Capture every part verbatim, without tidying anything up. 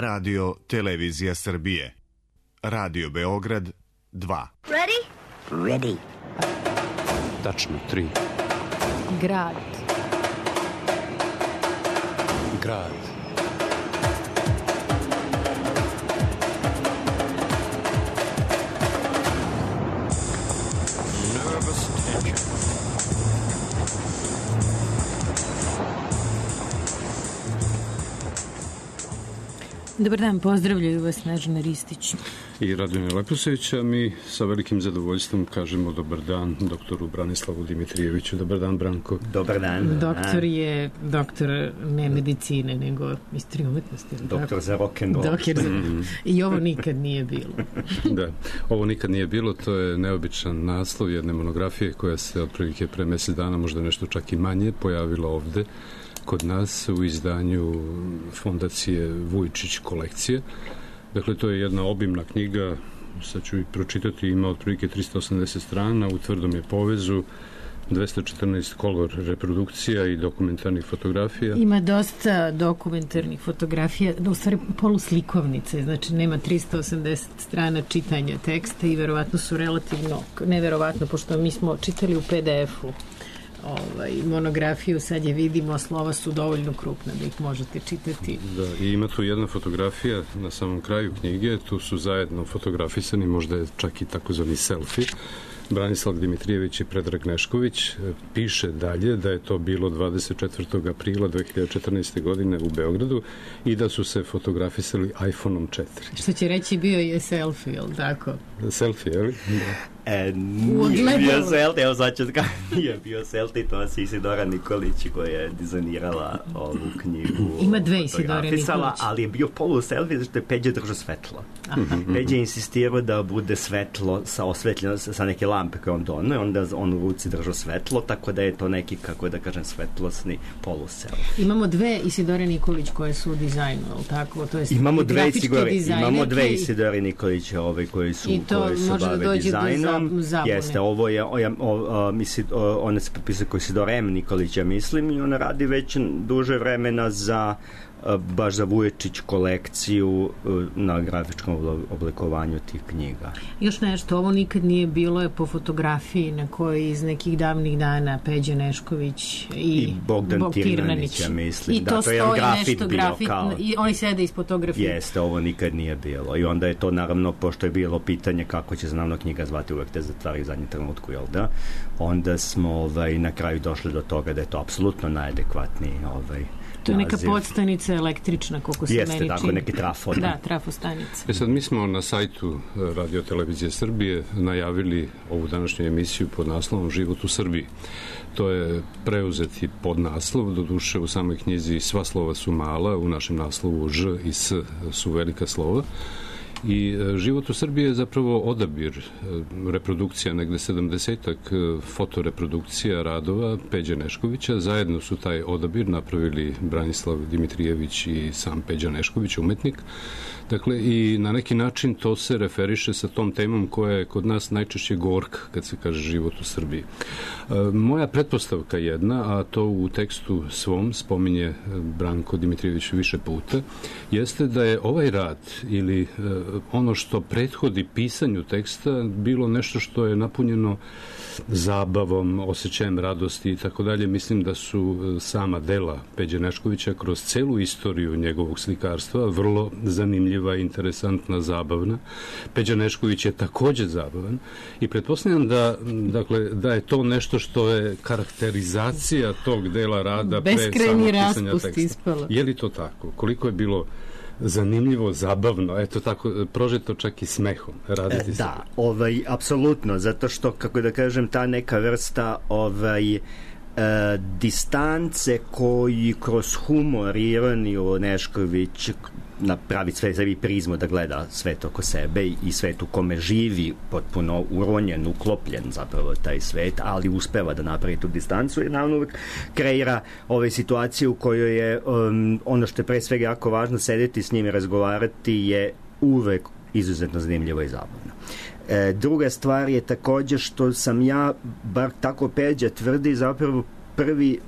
Radio Televizija Srbije. Radio Beograd dva. Ready? Ready. Tačno tri. Grad. Grad. Nervous tension. Dobar dan, pozdravljaju vas Snežana Ristić I Radovana Leposevića. Mi sa velikim zadovoljstvom kažemo dobar dan doktoru Branislavu Dimitrijeviću. Dobar dan, Branko. Dobar dan. Doktor je doktor ne medicine, nego istorije umetnosti. Doktor za rock'n'roll. Doktor za... I ovo nikad nije bilo. Da, ovo nikad nije bilo, to je neobičan naslov jedne monografije koja se otprilike pre mesec dana, možda nešto čak i manje, pojavila ovde kod nas u izdanju fondacije Vujčić kolekcije. Dakle, to je jedna obimna knjiga, sad ću i pročitati, ima otprilike tristo osamdeset strana, u tvrdom je povezu, dvesta četrnaest kolor reprodukcija i dokumentarnih fotografija. Ima dosta dokumentarnih fotografija, u stvari poluslikovnice, znači nema tristo osamdeset strana čitanja teksta i verovatno su relativno, neverovatno, pošto mi smo čitali u pe de efu ovaj, monografiju, sad je vidimo, slova su dovoljno krupna da ih možete čitati. Da, i ima tu jedna fotografija na samom kraju knjige, tu su zajedno fotografisani, možda je čak i takozvani selfie, Branislav Dimitrijević i Predrag Nešković. Piše dalje da je to bilo dvadeset četvrtog aprila dve hiljade četrnaeste. godine u Beogradu i da su se fotografisali iPhone-om četiri. Što će reći, bio je selfie, jel tako? Selfie, je li? E, nije bio selfie, evo sad ću kada nije bio selfie, to je Isidora Nikolić koja je dizajnirala ovu knjigu. Ima dve Isidore Nikolić. Ali je bio polu selfie zato je Peđa držao svetlo. Peđa je insistirao da bude svetlo sa osvetljeno sa neke lampe koje on donio, onda on u ruci držao svetlo, tako da je to neki, kako da kažem, svetlosni polu selfie. Imamo dve Isidore Nikolić koje su u dizajnu, ali tako? To je imamo dve Isidore, imamo dve Isidore Nikolić ove koji su, koji su bave dizajnom. Jeste, ovo je, o, o, misli, o, ona se potpisuje kao Isidora M. Nikolića, mislim, i ona radi već duže vremena za baš za Vujčić kolekciju na grafičkom oblikovanju tih knjiga. Još nešto, ovo nikad nije bilo, je po fotografiji na kojoj iz nekih davnih dana Peđa Nešković i, I Bogdan Bog Tirnanić, ja mislim. I to da, to je grafit bio grafit, kao... I oni sede iz fotografije. Jeste, ovo nikad nije bilo. I onda je to, naravno, pošto je bilo pitanje kako će se naravno knjiga zvati, uvek te zatvari u zadnjem trenutku, jel da? Onda smo ovaj, na kraju došli do toga da je to apsolutno najadekvatniji ovaj, to je neka podstanica električna, koliko se Jeste, meni čini. Jeste, tako neki trafo. Da, trafostanica. E sad, mi smo na sajtu Radio Televizije Srbije najavili ovu današnju emisiju pod naslovom Život u Srbiji. To je preuzeti podnaslov, doduše u samoj knjizi sva slova su mala, u našem naslovu Ž i S su velika slova. I Život u Srbiji je zapravo odabir reprodukcija, negde sedamdesetak fotoreprodukcija radova Peđe Neškovića. Zajedno su taj odabir napravili Branislav Dimitrijević i sam Peđa Nešković, umetnik. Dakle, i na neki način to se referiše sa tom temom koja je kod nas najčešće gorka, kad se kaže život u Srbiji. Moja pretpostavka jedna, a to u tekstu svom spominje Branko Dimitrijević više puta, jeste da je ovaj rad ili ono što prethodi pisanju teksta bilo nešto što je napunjeno zabavom, osjećajem radosti i tako dalje. Mislim da su sama dela Peđe Neškovića kroz celu istoriju njegovog slikarstva vrlo zanimljiva, interesantna, zabavna. Peđa Nešković je takođe zabavan i pretpostavljam da, dakle, da je to nešto što je karakterizacija tog dela rada pre samog pisanja teksta. Ispalo. Je li to tako? Koliko je bilo zanimljivo, zabavno, eto tako, prožeto čak i smehom raditi se. Da, ovaj, apsolutno, zato što, kako da kažem, ta neka vrsta ovaj, e, distance koji kroz humor, ironiju Nešković napravi sve sebi prizmu da gleda svet oko sebe i svet u kome živi potpuno uronjen, uklopljen zapravo taj svet, ali uspeva da napravi tu distancu i naravno uvek kreira ove situacije u kojoj je um, ono što je pre svega jako važno, sedeti s njim i razgovarati je uvek izuzetno zanimljivo i zabavno. E, druga stvar je takođe što sam ja, bar tako Peđa tvrdi, zapravo prvi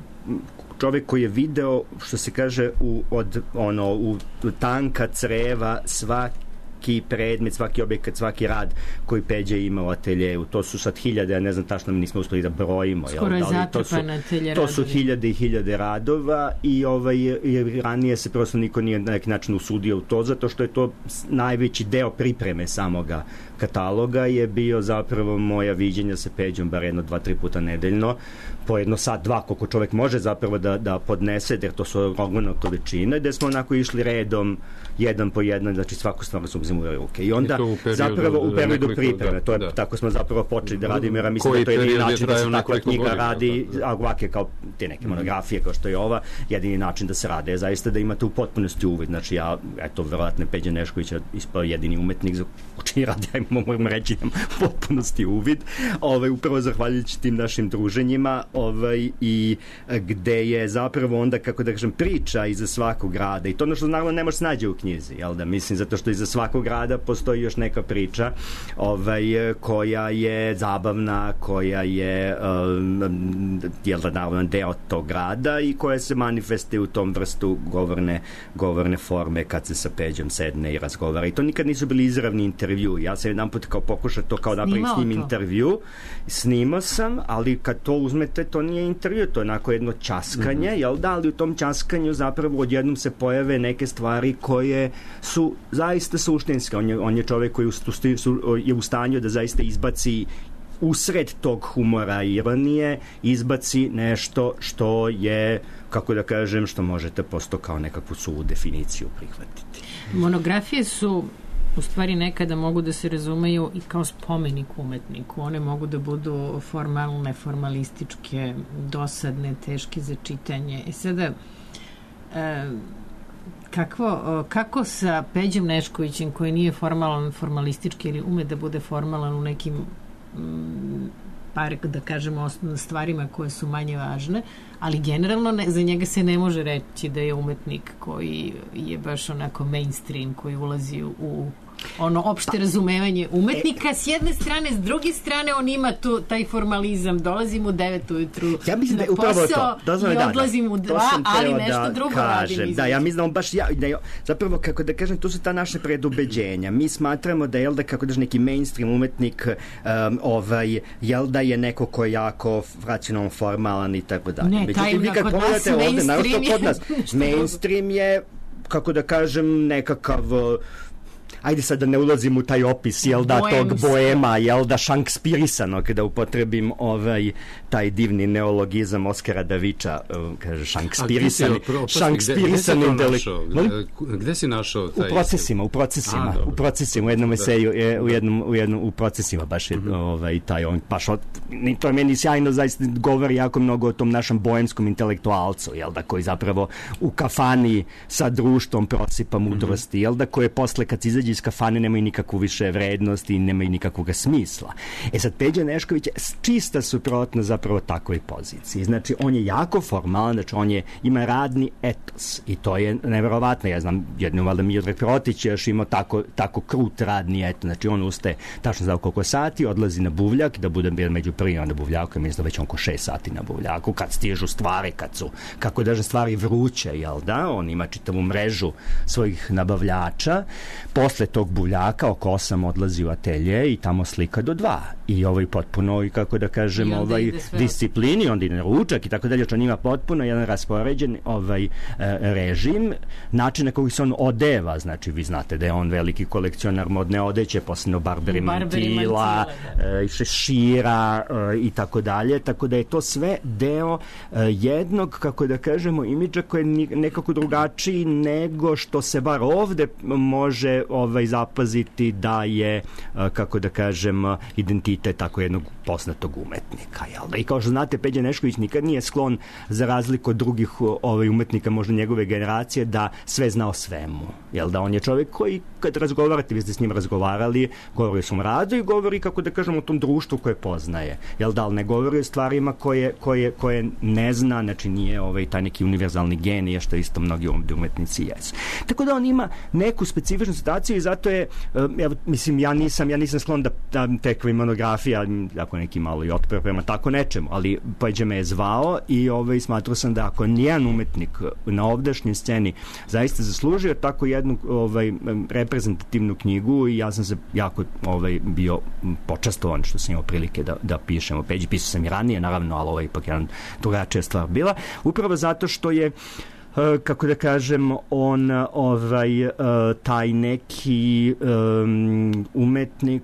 čovek koji je video, što se kaže, u, od, ono, u tanka creva svaki predmet, svaki objekat, svaki rad koji Peđa ima u ateljeju. To su sad hiljade, ja ne znam tačno, mi nismo uspeli da brojimo. Skoro je zatrpan atelje radovi. To su hiljade i hiljade radova i, ovaj, i ranije se prosto niko nije na neki način usudio u to, zato što je to najveći deo pripreme samoga kataloga je bio zapravo moja viđenja sa Peđom bar jedno, dva, tri puta nedeljno, po jedno sat, dva, koliko čovek može zapravo da, da podnese, jer to su ogromna količina, gde smo onako išli redom, jedan po jedan, znači svaku stvar su uzimali u ruke. I onda I u periodu, zapravo u periodu pripreme, da, to je, da. tako smo zapravo počeli da radimo, jer mislim Koji da to je jedini način da se takva knjiga godina, radi, da, da. a ovake kao te neke monografije kao što je ova, jedini način da se rade je zaista da imate u potpunosti uvid. Znači ja, eto, verovatno Peđa Nešković je ispao jedini umetnik za čiji rad ja moram reći da potpunosti uvid, ovaj, upravo zahvaljujući tim našim druženjima, ovaj, i gde je zapravo onda, kako da kažem, priča iza svakog rada, i to ono što naravno ne može se nađe u knjizi, jel da, mislim, zato što iza svakog rada postoji još neka priča, ovaj, koja je zabavna, koja je um, jel da, naravno deo tog rada i koja se manifestuje u tom vrstu govorne, govorne forme kad se sa Peđom sedne i razgovara, i to nikad nisu bili izravni intervju. Ja sam jedan put kao pokušao to kao napravim s njim intervju, snimao sam, ali kad to uzmete, to nije intervju, to je onako jedno ćaskanje, mm-hmm. jel da, ali u tom ćaskanju zapravo odjednom se pojave neke stvari koje su zaista suštinske. On je, on je čovek koji je u stanju da zaista izbaci usred tog humora i ironije, izbaci nešto što je, kako da kažem, što možete posto kao nekakvu suvu definiciju prihvatiti. Monografije su u stvari nekada mogu da se razumeju i kao spomenik umetniku. One mogu da budu formalne, formalističke, dosadne, teške za čitanje. I sada, e, kakvo, kako sa Peđom Neškovićem, koji nije formalan, formalistički, ili ume da bude formalan u nekim m, par, da kažemo, osnovnim stvarima koje su manje važne, ali generalno ne, za njega se ne može reći da je umetnik koji je baš onako mainstream, koji ulazi u ono opšte razumevanje umetnika s jedne strane, s druge strane on ima tu taj formalizam, dolazim u devet ujutru ja mislim na da je upravo posao to. Da, i da, odlazim da, u dva, ali nešto da drugo kažem. radim. Da, ja mislim da on baš ja, da je, zapravo, kako da kažem, to su ta naše predubeđenja. Mi smatramo da je da, kako da neki mainstream umetnik um, ovaj, jel da je neko ko je jako racionalno formalan i tako dalje. Ne, taj vi kad kod nas ovde, mainstream je kod nas, mainstream je, kako da kažem, nekakav ajde sad da ne ulazim u taj opis, jel da, Boemska. Tog boema, jel da, šankspirisano, kada upotrebim ovaj, taj divni neologizam Oskara Daviča, kaže šankspirisani, šankspirisani intelekt. Gde, gde si našao taj? U procesima, u procesima, A, u procesima, u jednom eseju, u jednom, u jednom, u procesima baš je mm-hmm. ovaj, taj, on, baš od, to je meni sjajno, zaista govori jako mnogo o tom našem boemskom intelektualcu, jel da, koji zapravo u kafani sa društvom prosipa mudrosti, mm-hmm. jel da, koje posle kad izađe iz kafane nemaju nikakvu više vrednost i nemaju nikakvog smisla. E sad, Peđa Nešković je čista suprotna zapravo takvoj poziciji. Znači, on je jako formalan, znači on je, ima radni etos i to je neverovatno. Ja znam, jednom valjda Miodrag Protić je još imao tako, tako krut radni etos. Znači, on ustaje tačno za koliko sati, odlazi na buvljak, da bude među prvima na buvljaku, ja mislim da već oko šest sati na buvljaku, kad stižu stvari, kad su, kako da stvari vruće, jel da? On ima čitavu mrežu svojih nabavljača. Posle tog buvljaka oko osam odlazi u atelje i tamo slika do dva. I ovaj potpuno, i kako da kažem, ovaj disciplini, onda ide na ručak i tako dalje, što on ima potpuno jedan raspoređen ovaj, e, režim, način na koji se on odeva, znači vi znate da je on veliki kolekcionar modne odeće, posebno Barberi Mantila, e, šešira e, i tako dalje, tako da je to sve deo e, jednog, kako da kažemo, imidža koji je nekako drugačiji nego što se bar ovde može ovaj, zapaziti da je, kako da kažem, identitet tako jednog poznatog umetnika. Jel? I kao što znate, Peđa Nešković nikad nije sklon, za razliku od drugih ovaj, umetnika, možda njegove generacije, da sve zna o svemu. Jel da, on je čovjek koji, kad razgovarate, vi ste s njim razgovarali, govori o svom radu i govori, kako da kažem, o tom društvu koje poznaje. Jel da, ali ne govori o stvarima koje, koje, koje ne zna, znači nije ovaj, taj neki univerzalni genij, što isto mnogi umetnici jesu. Tako da on ima neku specifičnu situaciju i zato je, evo, mislim, ja nisam, ja nisam sklon da, da tekva i monografija, ako neki malo i otpor prema tako nečemu, ali Peđa me je zvao i ovaj, smatrao sam da ako nijedan umetnik na ovdašnjoj sceni zaista zaslužio tako jednu ovaj, reprezentativnu knjigu i ja sam se jako ovaj, bio počastovan što sam imao prilike da, da pišem o Peđi. Pisao sam i ranije, naravno, ali ovo je ipak jedan drugačija stvar bila. Upravo zato što je kako da kažem, on ovaj, taj neki um, umetnik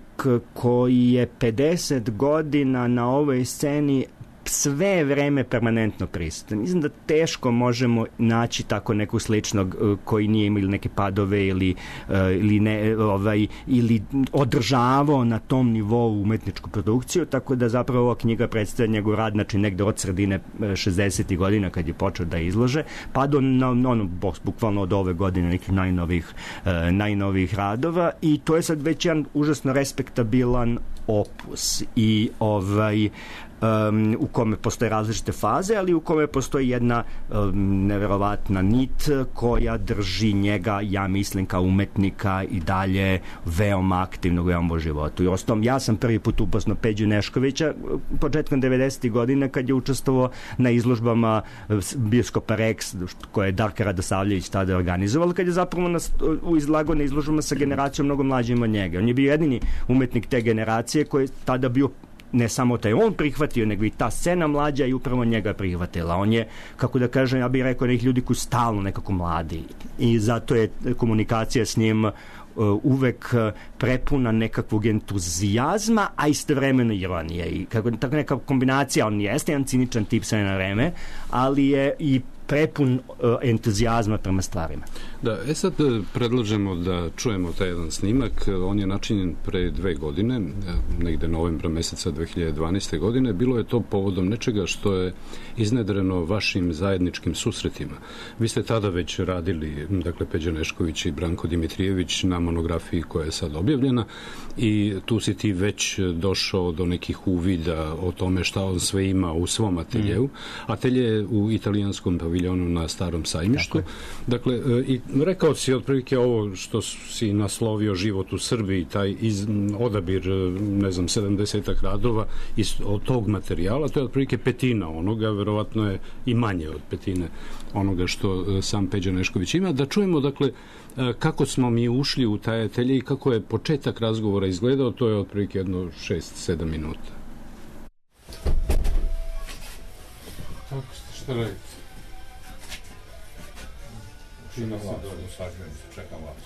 koji je pedeset godina na ovoj sceni sve vreme permanentno prisutan. Mislim da teško možemo naći tako nekog sličnog koji nije imao neke padove ili, ili, ne, ovaj, ili održavao na tom nivou umetničku produkciju, tako da zapravo ova knjiga predstavlja njegov rad, znači negde od sredine šezdesetih godina kad je počeo da izlože, pa do na, ono, bukvalno od ove godine nekih najnovih, najnovih radova i to je sad već jedan užasno respektabilan opus i ovaj Um, u kome postoje različite faze, ali u kome postoji jedna um, neverovatna nit koja drži njega, ja mislim, kao umetnika i dalje veoma aktivnog u veoma životu. I ostom, ja sam prvi put upoznao Peđu Neškovića početkom devedesetih godina kad je učestvovao na izložbama bioskopa Rex koje je Darka Radosavljević tada organizovala, kad je zapravo nas, u izlagao na izložbama sa generacijom mnogo mlađim od njega. On je bio jedini umetnik te generacije koji je tada bio ne samo taj on prihvatio, nego i ta scena mlađa i upravo njega prihvatila. On je, kako da kažem, ja bih rekao nekih ljudi koji stalno nekako mladi i zato je komunikacija s njim uh, uvek prepuna nekakvog entuzijazma, a istovremeno ironije. I kako, tako neka kombinacija, on jeste jedan ciničan tip sve na vreme, ali je i prepun uh, entuzijazma prema stvarima. Da, e sad predlažemo da čujemo taj jedan snimak. On je načinjen pre dve godine, negde novembra meseca dve hiljade dvanaeste. godine. Bilo je to povodom nečega što je iznedreno vašim zajedničkim susretima. Vi ste tada već radili, dakle, Peđa Nešković i Branko Dimitrijević na monografiji koja je sad objavljena i tu si ti već došao do nekih uvida o tome šta on sve ima u svom ateljevu. Mm. Atelje je u italijanskom paviljonu na Starom sajmištu. Dakle, i rekao si otprilike ovo što si naslovio Život u Srbiji, taj iz, odabir, ne znam, sedamdesetak radova iz, od tog materijala, to je otprilike petina onoga, verovatno je i manje od petine onoga što sam Peđa Nešković ima. Da čujemo, dakle, kako smo mi ušli u taj atelje i kako je početak razgovora izgledao, to je otprilike jedno šest sedam minuta. Kako ste, šta radite? Čina se dolje, sažujem se, čekam vas.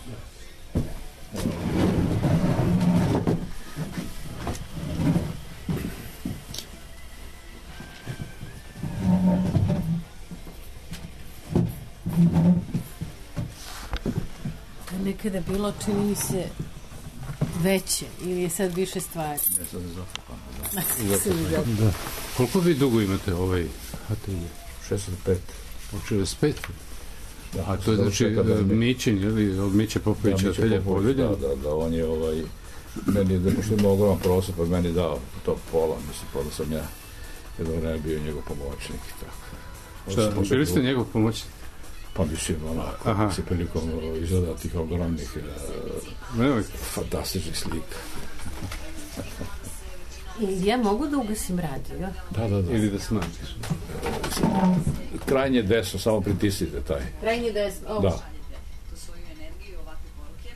Nekada bilo, čini mi se, veće ili je sad više stvari? Ne, sad je zafupano. Da. Da. Koliko vi dugo imate ovaj atelje? šezdeset pet. Od šezdeset pet? Da, a to je znači Mićin, ili od Miće Popovića da, atelje podeljen? Da, da, da, on je ovaj, meni, da pošto ima ogroman prostor, pa meni dao to pola, mislim, pa da sam ja jedno vreme bio njegov pomoćnik i tako. Šta, bili ste njegov pomoćnik? Pa mislim, onako, se prilikom izgleda tih ogromnih uh, fantastičnih slika. Ja mogu da ugasim radio? Da, da, da. Ili da smanjiš? Krajnje desno, samo pritisnite taj. Krajnje desno, ovo. Da. Svoju energiju, ovakve poruke.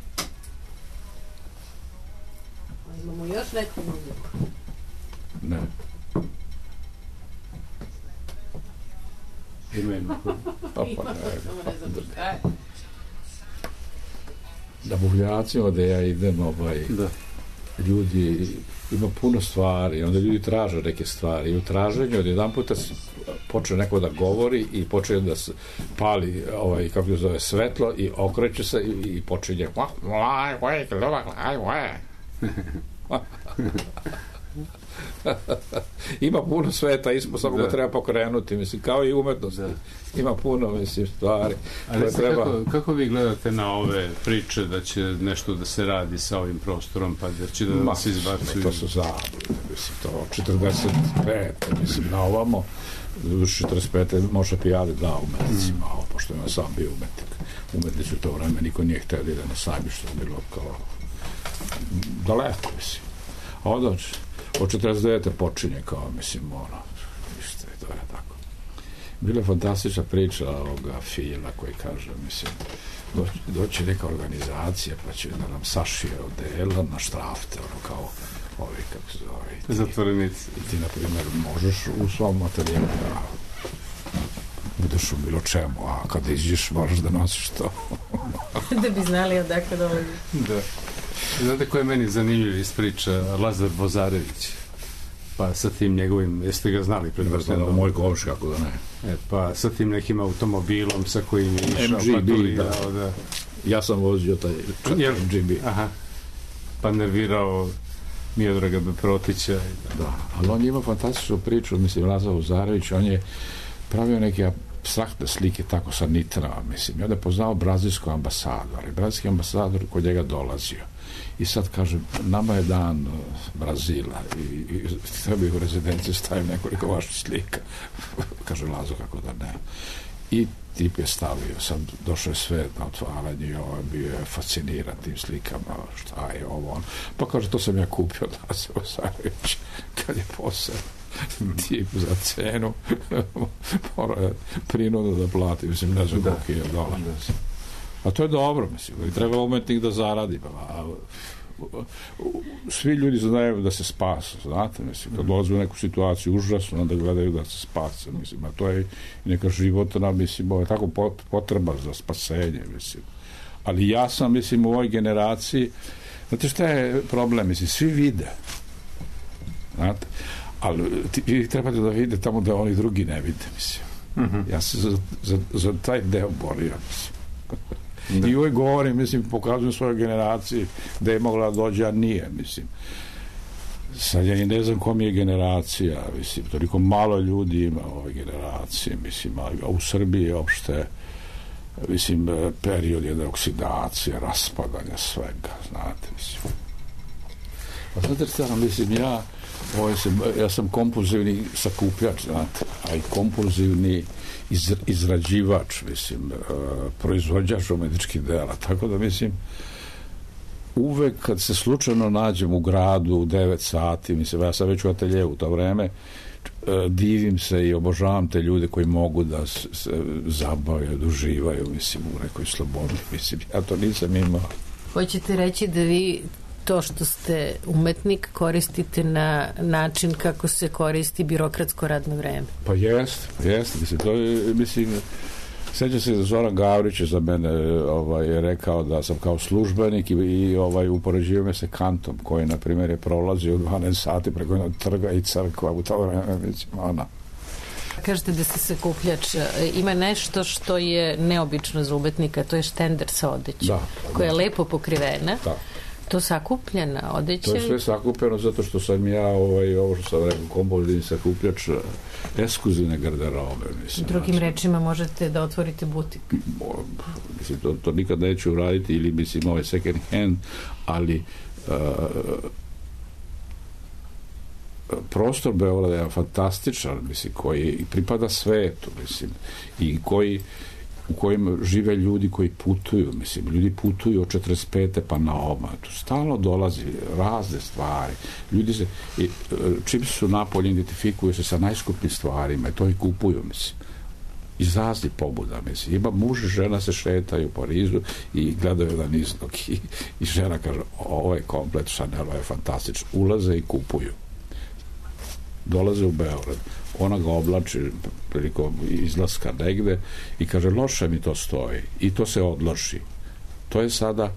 Imamo još neku muziku? Ne. Ima ima. Pa, pa, ne. Da buvljacima da ja idem, ovaj, da. Ljudi, ima puno stvari, onda ljudi traže neke stvari i u traženju od jedan puta počne neko da govori i počne da se pali, ovaj, kako se zove, svetlo i okreće se i, i počinje ima puno sveta, ispod samo ga treba pokrenuti, mislim, kao i umetnost. Da. Ima puno, mislim, stvari. Ali treba... kako, kako vi gledate na ove priče da će nešto da se radi sa ovim prostorom, pa da će da se izbacuju? To su zablude, mislim, to četrdeset pet, mislim, na ovamo, četrdeset pet može prijaviti da umetnicima, mm. pošto ima sam bio umetnik. umetnici u to vreme, niko nije htio da ide na sajmište, bilo kao daleko, mislim. A onda od četrdeset devete počinje kao, mislim, ono, ništa, to je tako. Bila je fantastična priča ovoga Fila koji kaže, mislim, doći, doći neka organizacija pa će da nam sašije odela na štrafte, ono kao ovi, kako se zove. Zatvorenici. I ti, na primjer, možeš u svom materijelu da budeš u bilo čemu, a kada iđeš moraš da nosiš to. Da bi znali odakle dolazi. Da. Znate ko je meni zanimljiv iz priča? Lazar Vozarević. Pa sa tim njegovim, jeste ga znali predvrsteno? Moj komš, kako da ne. E, pa sa tim nekim automobilom sa kojim je išao, M G B, paturirao, da. da. Ja sam vozio taj Jel? M G B. Aha. Pa nervirao Miodraga Beprotića. Da. da, ali on ima fantastičnu priču, mislim, Lazar Vozarević, on je pravio neke apstraktne slike tako sa nitrama, mislim, i onda je poznao brazilsku ambasador, i brazilski ambasador kod njega dolazio. I sad kaže, nama je dan Brazila i, i treba u rezidenciju stavim nekoliko vaših slika. Kaže Lazo, kako da ne. I tip je stavio, sad došao je sve na otvaranje i ovo bio je fasciniran tim slikama, šta je ovo on. Pa kaže, to sam ja kupio od Laza Vozarevića kad je posao tip za cenu mora je prinudu da plati, mislim, ne znam koliko je dolar. A to je dobro, mislim, i treba umetnik da zaradi. A, svi ljudi znaju da se spase, znate, mislim, kad dolaze u neku situaciju užasno, onda gledaju da se spase, mislim, a to je neka životna, mislim, ovo je tako potreba za spasenje, mislim. Ali ja sam, mislim, u ovoj generaciji, znate šta je problem, mislim, svi vide, znate, ali ti, vi trebate da vidite tamo da oni drugi ne vide, mislim. Mm-hmm. Ja se za, za, za taj deo borio, mislim. Da. I uvijek govorim, mislim, pokazujem svojoj generaciji da je mogla da dođe, a nije, mislim. Sad ja i ne znam kom je generacija, mislim, toliko malo ljudi ima u ovoj generaciji, mislim, a u Srbiji je opšte, mislim, period jedne oksidacije, raspadanja svega, znate, mislim. A znate šta, mislim, ja, ovaj sam, ja sam kompulzivni sakupljač, znate, a i kompulzivni iz, izrađivač, mislim, uh, proizvođač umetničkih dela, tako da, mislim, uvek kad se slučajno nađem u gradu u devet sati, mislim, ja sam već u ateljevu u to vreme, uh, divim se i obožavam te ljude koji mogu da se, se zabavaju, da uživaju, mislim, u nekoj slobodi, mislim, ja to nisam imao. Hoćete reći da vi to što ste umetnik koristite na način kako se koristi birokratsko radno vreme? Pa jest, jest, mislim, to je, mislim, sećam se da Zoran Gavrić je za mene ovaj, rekao da sam kao službenik i, i ovaj, upoređivao me se Kantom, koji, na primjer, je prolazio u dvanaest sati preko jednog trga i crkva u to vreme, mislim, ona. Kažete da ste sakupljač. Ima nešto što je neobično za umetnika, to je štender sa odećem, da, koja je da. lepo pokrivena. Da. To sakupljena odeća? To je sve sakupljeno zato što sam ja ovaj, ovo što sam rekao, kompulzivni sakupljač ekskluzivne garderobe. Mislim, drugim znači, rečima možete da otvorite butik? Mislim, to, to nikad neću uraditi ili mislim ovaj second hand, ali uh, prostor Beograda je fantastičan, mislim, koji pripada svetu, mislim, i koji u kojim žive ljudi koji putuju, mislim, ljudi putuju od četrdeset pete pa na oma, tu stalno dolazi razne stvari, ljudi se, i, čim su napolje identifikuju se sa najskupljim stvarima i to i kupuju, mislim, iz raznih pobuda, mislim, ima muž i žena se šetaju po Parizu i gledaju jedan izlog i, i žena kaže, ovo je komplet Chanel, je fantastično, ulaze i kupuju, dolaze u Beograd, ona ga oblači prilikom izlaska negde i kaže, loše mi to stoji i to se odloži. To je sada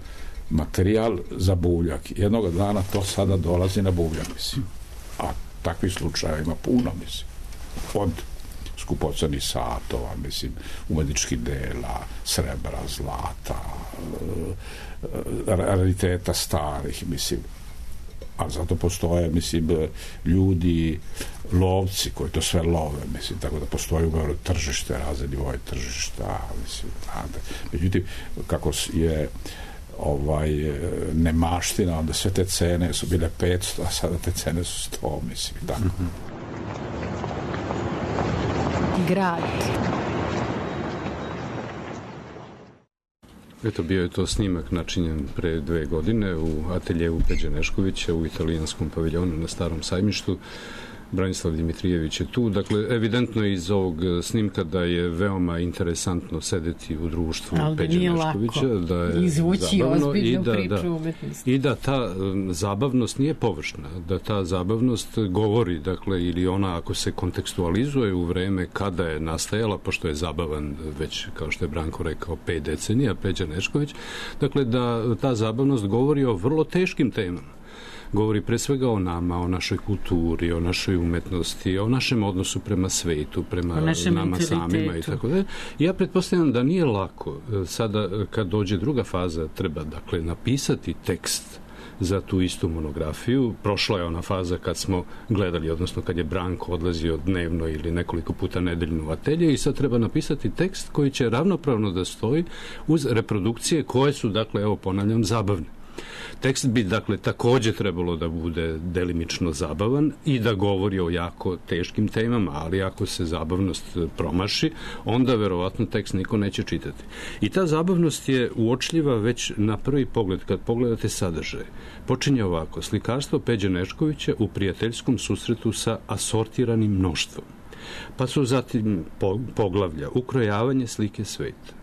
materijal za buvljak. Jednog dana to sada dolazi na buvljak, mislim. A takvih slučaja ima puno, mislim. Od skupocenih satova, mislim, umetničkih dela, srebra, zlata, rariteta starih, mislim. A zato postoje, mislim, ljudi, lovci koji to sve love, mislim, tako da postoji u Beogradu tržište, razne nivoje tržišta, mislim, znate. Međutim, kako je ovaj, nemaština, onda sve te cene su bile petsto, a sada te cene su sto, mislim, tako. Mm-hmm. Grad. Eto, bio je to snimak načinjen pre dve godine u ateljevu Peđe Neškovića u italijanskom paviljonu na Starom sajmištu. Branislav Dimitrijević je tu. Dakle, evidentno je iz ovog snimka da je veoma interesantno sedeti u društvu Peđe Neškovića. Da je izvući ozbiljnu da, priču da, umetnosti. I da ta um, zabavnost nije površna, da ta zabavnost govori, dakle, ili ona ako se kontekstualizuje u vreme kada je nastajala, pošto je zabavan već, kao što je Branko rekao, pet decenija, Peđa Nešković, dakle, da ta zabavnost govori o vrlo teškim temama. Govori pre svega o nama, o našoj kulturi, o našoj umetnosti, o našem odnosu prema svetu, prema nama samima i tako da. Ja pretpostavljam da nije lako. Sada, kad dođe druga faza, treba, dakle, napisati tekst za tu istu monografiju. Prošla je ona faza kad smo gledali, odnosno kad je Branko odlazio dnevno ili nekoliko puta nedeljno u atelje i sad treba napisati tekst koji će ravnopravno da stoji uz reprodukcije koje su, dakle, evo ponavljam, zabavne. Tekst bi, dakle, takođe trebalo da bude delimično zabavan i da govori o jako teškim temama, ali ako se zabavnost promaši, onda verovatno tekst niko neće čitati. I ta zabavnost je uočljiva već na prvi pogled, kad pogledate sadržaj. Počinje ovako: slikarstvo Peđe Neškovića u prijateljskom susretu sa asortiranim mnoštvom. Pa su zatim poglavlja ukrojavanje slike sveta.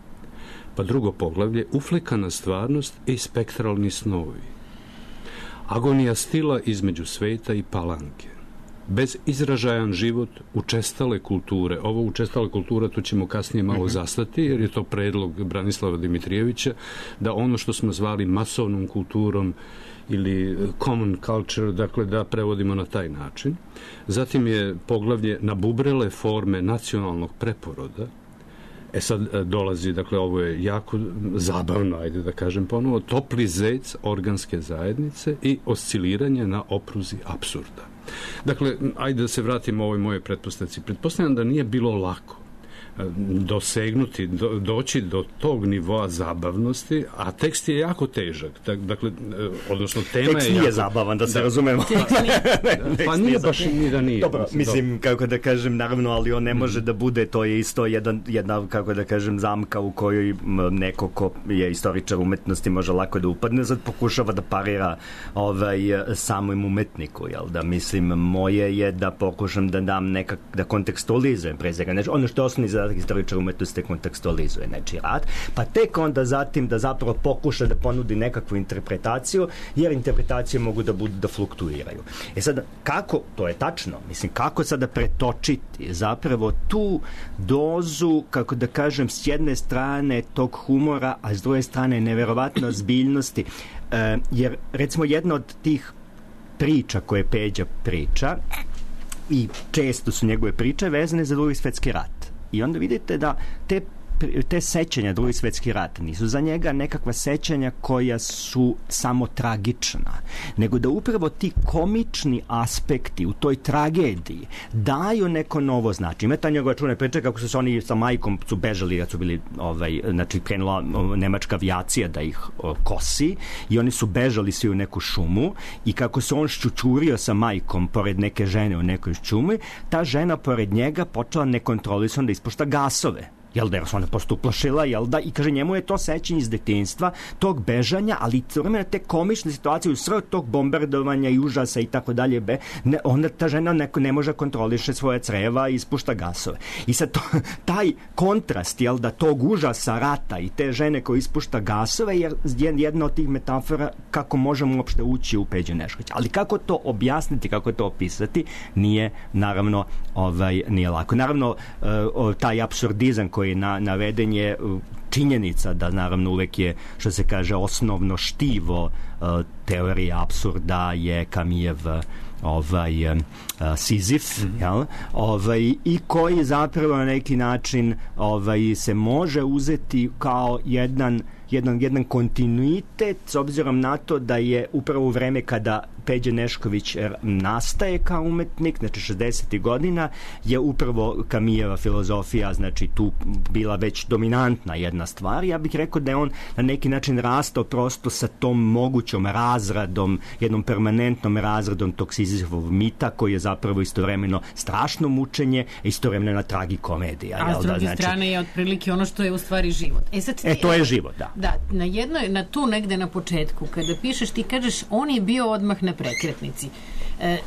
Pa drugo poglavlje, uflikana stvarnost i spektralni snovi. Agonija stila između sveta i palanke. Bezizražajan život učestale kulture. Ovo učestale kultura, tu ćemo kasnije malo zastati, jer je to predlog Branislava Dimitrijevića, da ono što smo zvali masovnom kulturom ili common culture, dakle, da prevodimo na taj način. Zatim je poglavlje nabubrele forme nacionalnog preporoda. E sad dolazi, dakle, ovo je jako zabavno, ajde da kažem ponovo, topli zec organske zajednice i osciliranje na opruzi apsurda. Dakle, ajde da se vratimo ovoj moje pretpostavci. Pretpostavljam da nije bilo lako dosegnuti, do, doći do tog nivoa zabavnosti, a tekst je jako težak. Dakle, odnosno tema tekst je jako... nije zabavan, da se da, razumemo. Pa, pa nije baš ni da nije. Dobro, mislim, kako da kažem, naravno, ali on ne može da bude, to je isto jedan, jedna, kako da kažem, zamka u kojoj neko ko je istoričar umetnosti može lako da upadne, sad pokušava da parira ovaj, samom umetniku, jel da, mislim, moje je da pokušam da dam nekak, da kontekstualizujem pre svega, znači, ono što je osnovni zadatak istoričar umetnosti kontekstualizuje nečiji rad, pa tek onda zatim da zapravo pokuša da ponudi nekakvu interpretaciju, jer interpretacije mogu da budu da fluktuiraju. E sad, kako, to je tačno, mislim, kako sada pretočiti zapravo tu dozu, kako da kažem, s jedne strane tog humora, a s druge strane neverovatno ozbiljnosti, e, jer recimo jedna od tih priča koje Peđa priča, i često su njegove priče vezane za Drugi svetski rat. I onda vidite da te, te sećanja Drugi svetski rat nisu za njega nekakva sećanja koja su samo tragična, nego da upravo ti komični aspekti u toj tragediji daju neko novo značenje. Ima ta njegova čuvena priča kako su se oni sa majkom su bežali, kad su bili, ovaj, znači krenula nemačka avijacija da ih o, kosi i oni su bežali svi u neku šumu i kako se on ščučurio sa majkom pored neke žene u nekoj šumi, ta žena pored njega počela nekontrolisano da ispušta gasove. Jel da, jer se ona posto uplašila, jel da, i kaže, njemu je to sećanje iz detinjstva, tog bežanja, ali vremena te komične situacije u sred tog bombardovanja i užasa i tako dalje, be, ne, onda ta žena neko ne može kontroliše svoje creva i ispušta gasove. I sad to, taj kontrast, jel da, tog užasa rata i te žene koje ispušta gasove je jedna od tih metafora kako možemo uopšte ući u Peđu Neškovića. Ali kako to objasniti, kako to opisati, nije, naravno, ovaj, nije lako. Naravno, uh, taj apsurdizam koji Na, naveden je činjenica da naravno uvek je, što se kaže, osnovno štivo uh, teorije apsurda je Kamijev ovaj uh, Sizif, mm-hmm. jel? Ovaj, i koji zapravo na neki način ovaj, se može uzeti kao jedan jedan, jedan kontinuitet s obzirom na to da je upravo u vreme kada Peđa Nešković nastaje kao umetnik, znači šezdesetih godina, je upravo Kamijeva filozofija, znači tu bila već dominantna jedna stvar. Ja bih rekao da je on na neki način rastao prosto sa tom mogućom razradom, jednom permanentnom razradom tog Sizifovog mita, koji je zapravo istovremeno strašno mučenje, istovremeno tragikomedija. A s druge znači, strane je otprilike ono što je u stvari život. E, sad, e to je život, da. Da, na jednoj, na tu negde na početku, kada pišeš, ti kažeš, on je bio odmah na prekretnici. E,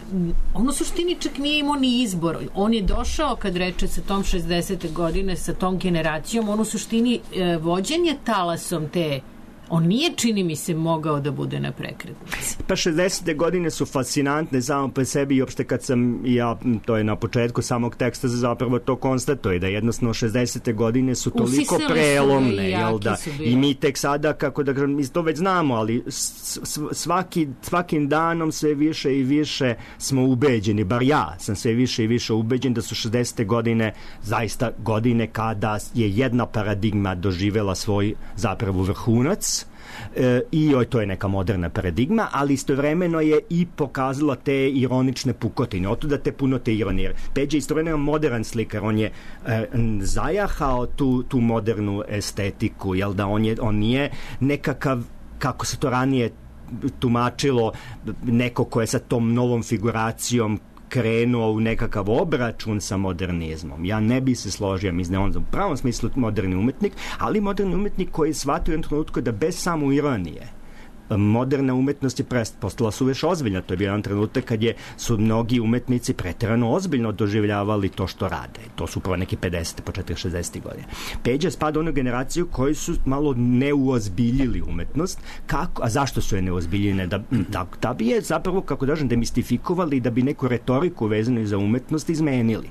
on u suštini čak nije imao ni izbor. On je došao, kad reče, sa tom šezdesete godine, sa tom generacijom, on u suštini e, vođen je talasom te. On nije, čini mi se, mogao da bude na prekretnici. Pa šezdesete godine su fascinantne samo po sebi i opšte kad sam, ja, to je na početku samog teksta zapravo to konstatuje, da jednostavno šezdesete godine su toliko Usisele prelomne, su jel da? I mi tek sada, kako da kažem, mi to već znamo, ali svaki, svakim danom sve više i više smo ubeđeni, bar ja sam sve više i više ubeđen da su šezdesete godine zaista godine kada je jedna paradigma doživela svoj zapravo vrhunac. E, i oj, to je neka moderna paradigma, ali istovremeno je i pokazala te ironične pukotine, otuda te puno te ironije. Peđa je istovremeno modern slikar, on je e, zajahao tu, tu modernu estetiku, jel da, on, je, on nije nekakav, kako se to ranije tumačilo, neko ko je sa tom novom figuracijom krenuo u nekakav obračun sa modernizmom. Ja ne bi se složio, mislim da on u pravom smislu moderni umetnik, ali moderni umetnik koji je shvatio u jednom trenutku da bez samo ironije moderna umetnost je prest, postala su već ozbiljna. To je bio jedan trenutak kad je, su mnogi umetnici preterano ozbiljno doživljavali to što rade. To su upravo neki pedesete, početak šezdesetih godina. Peđa spada u onu generaciju koji su malo neuozbiljili umetnost. Kako, a zašto su je neuozbiljene? Da, da, da bi je zapravo, kako da kažem, demistifikovali i da bi neku retoriku vezanu za umetnost izmenili.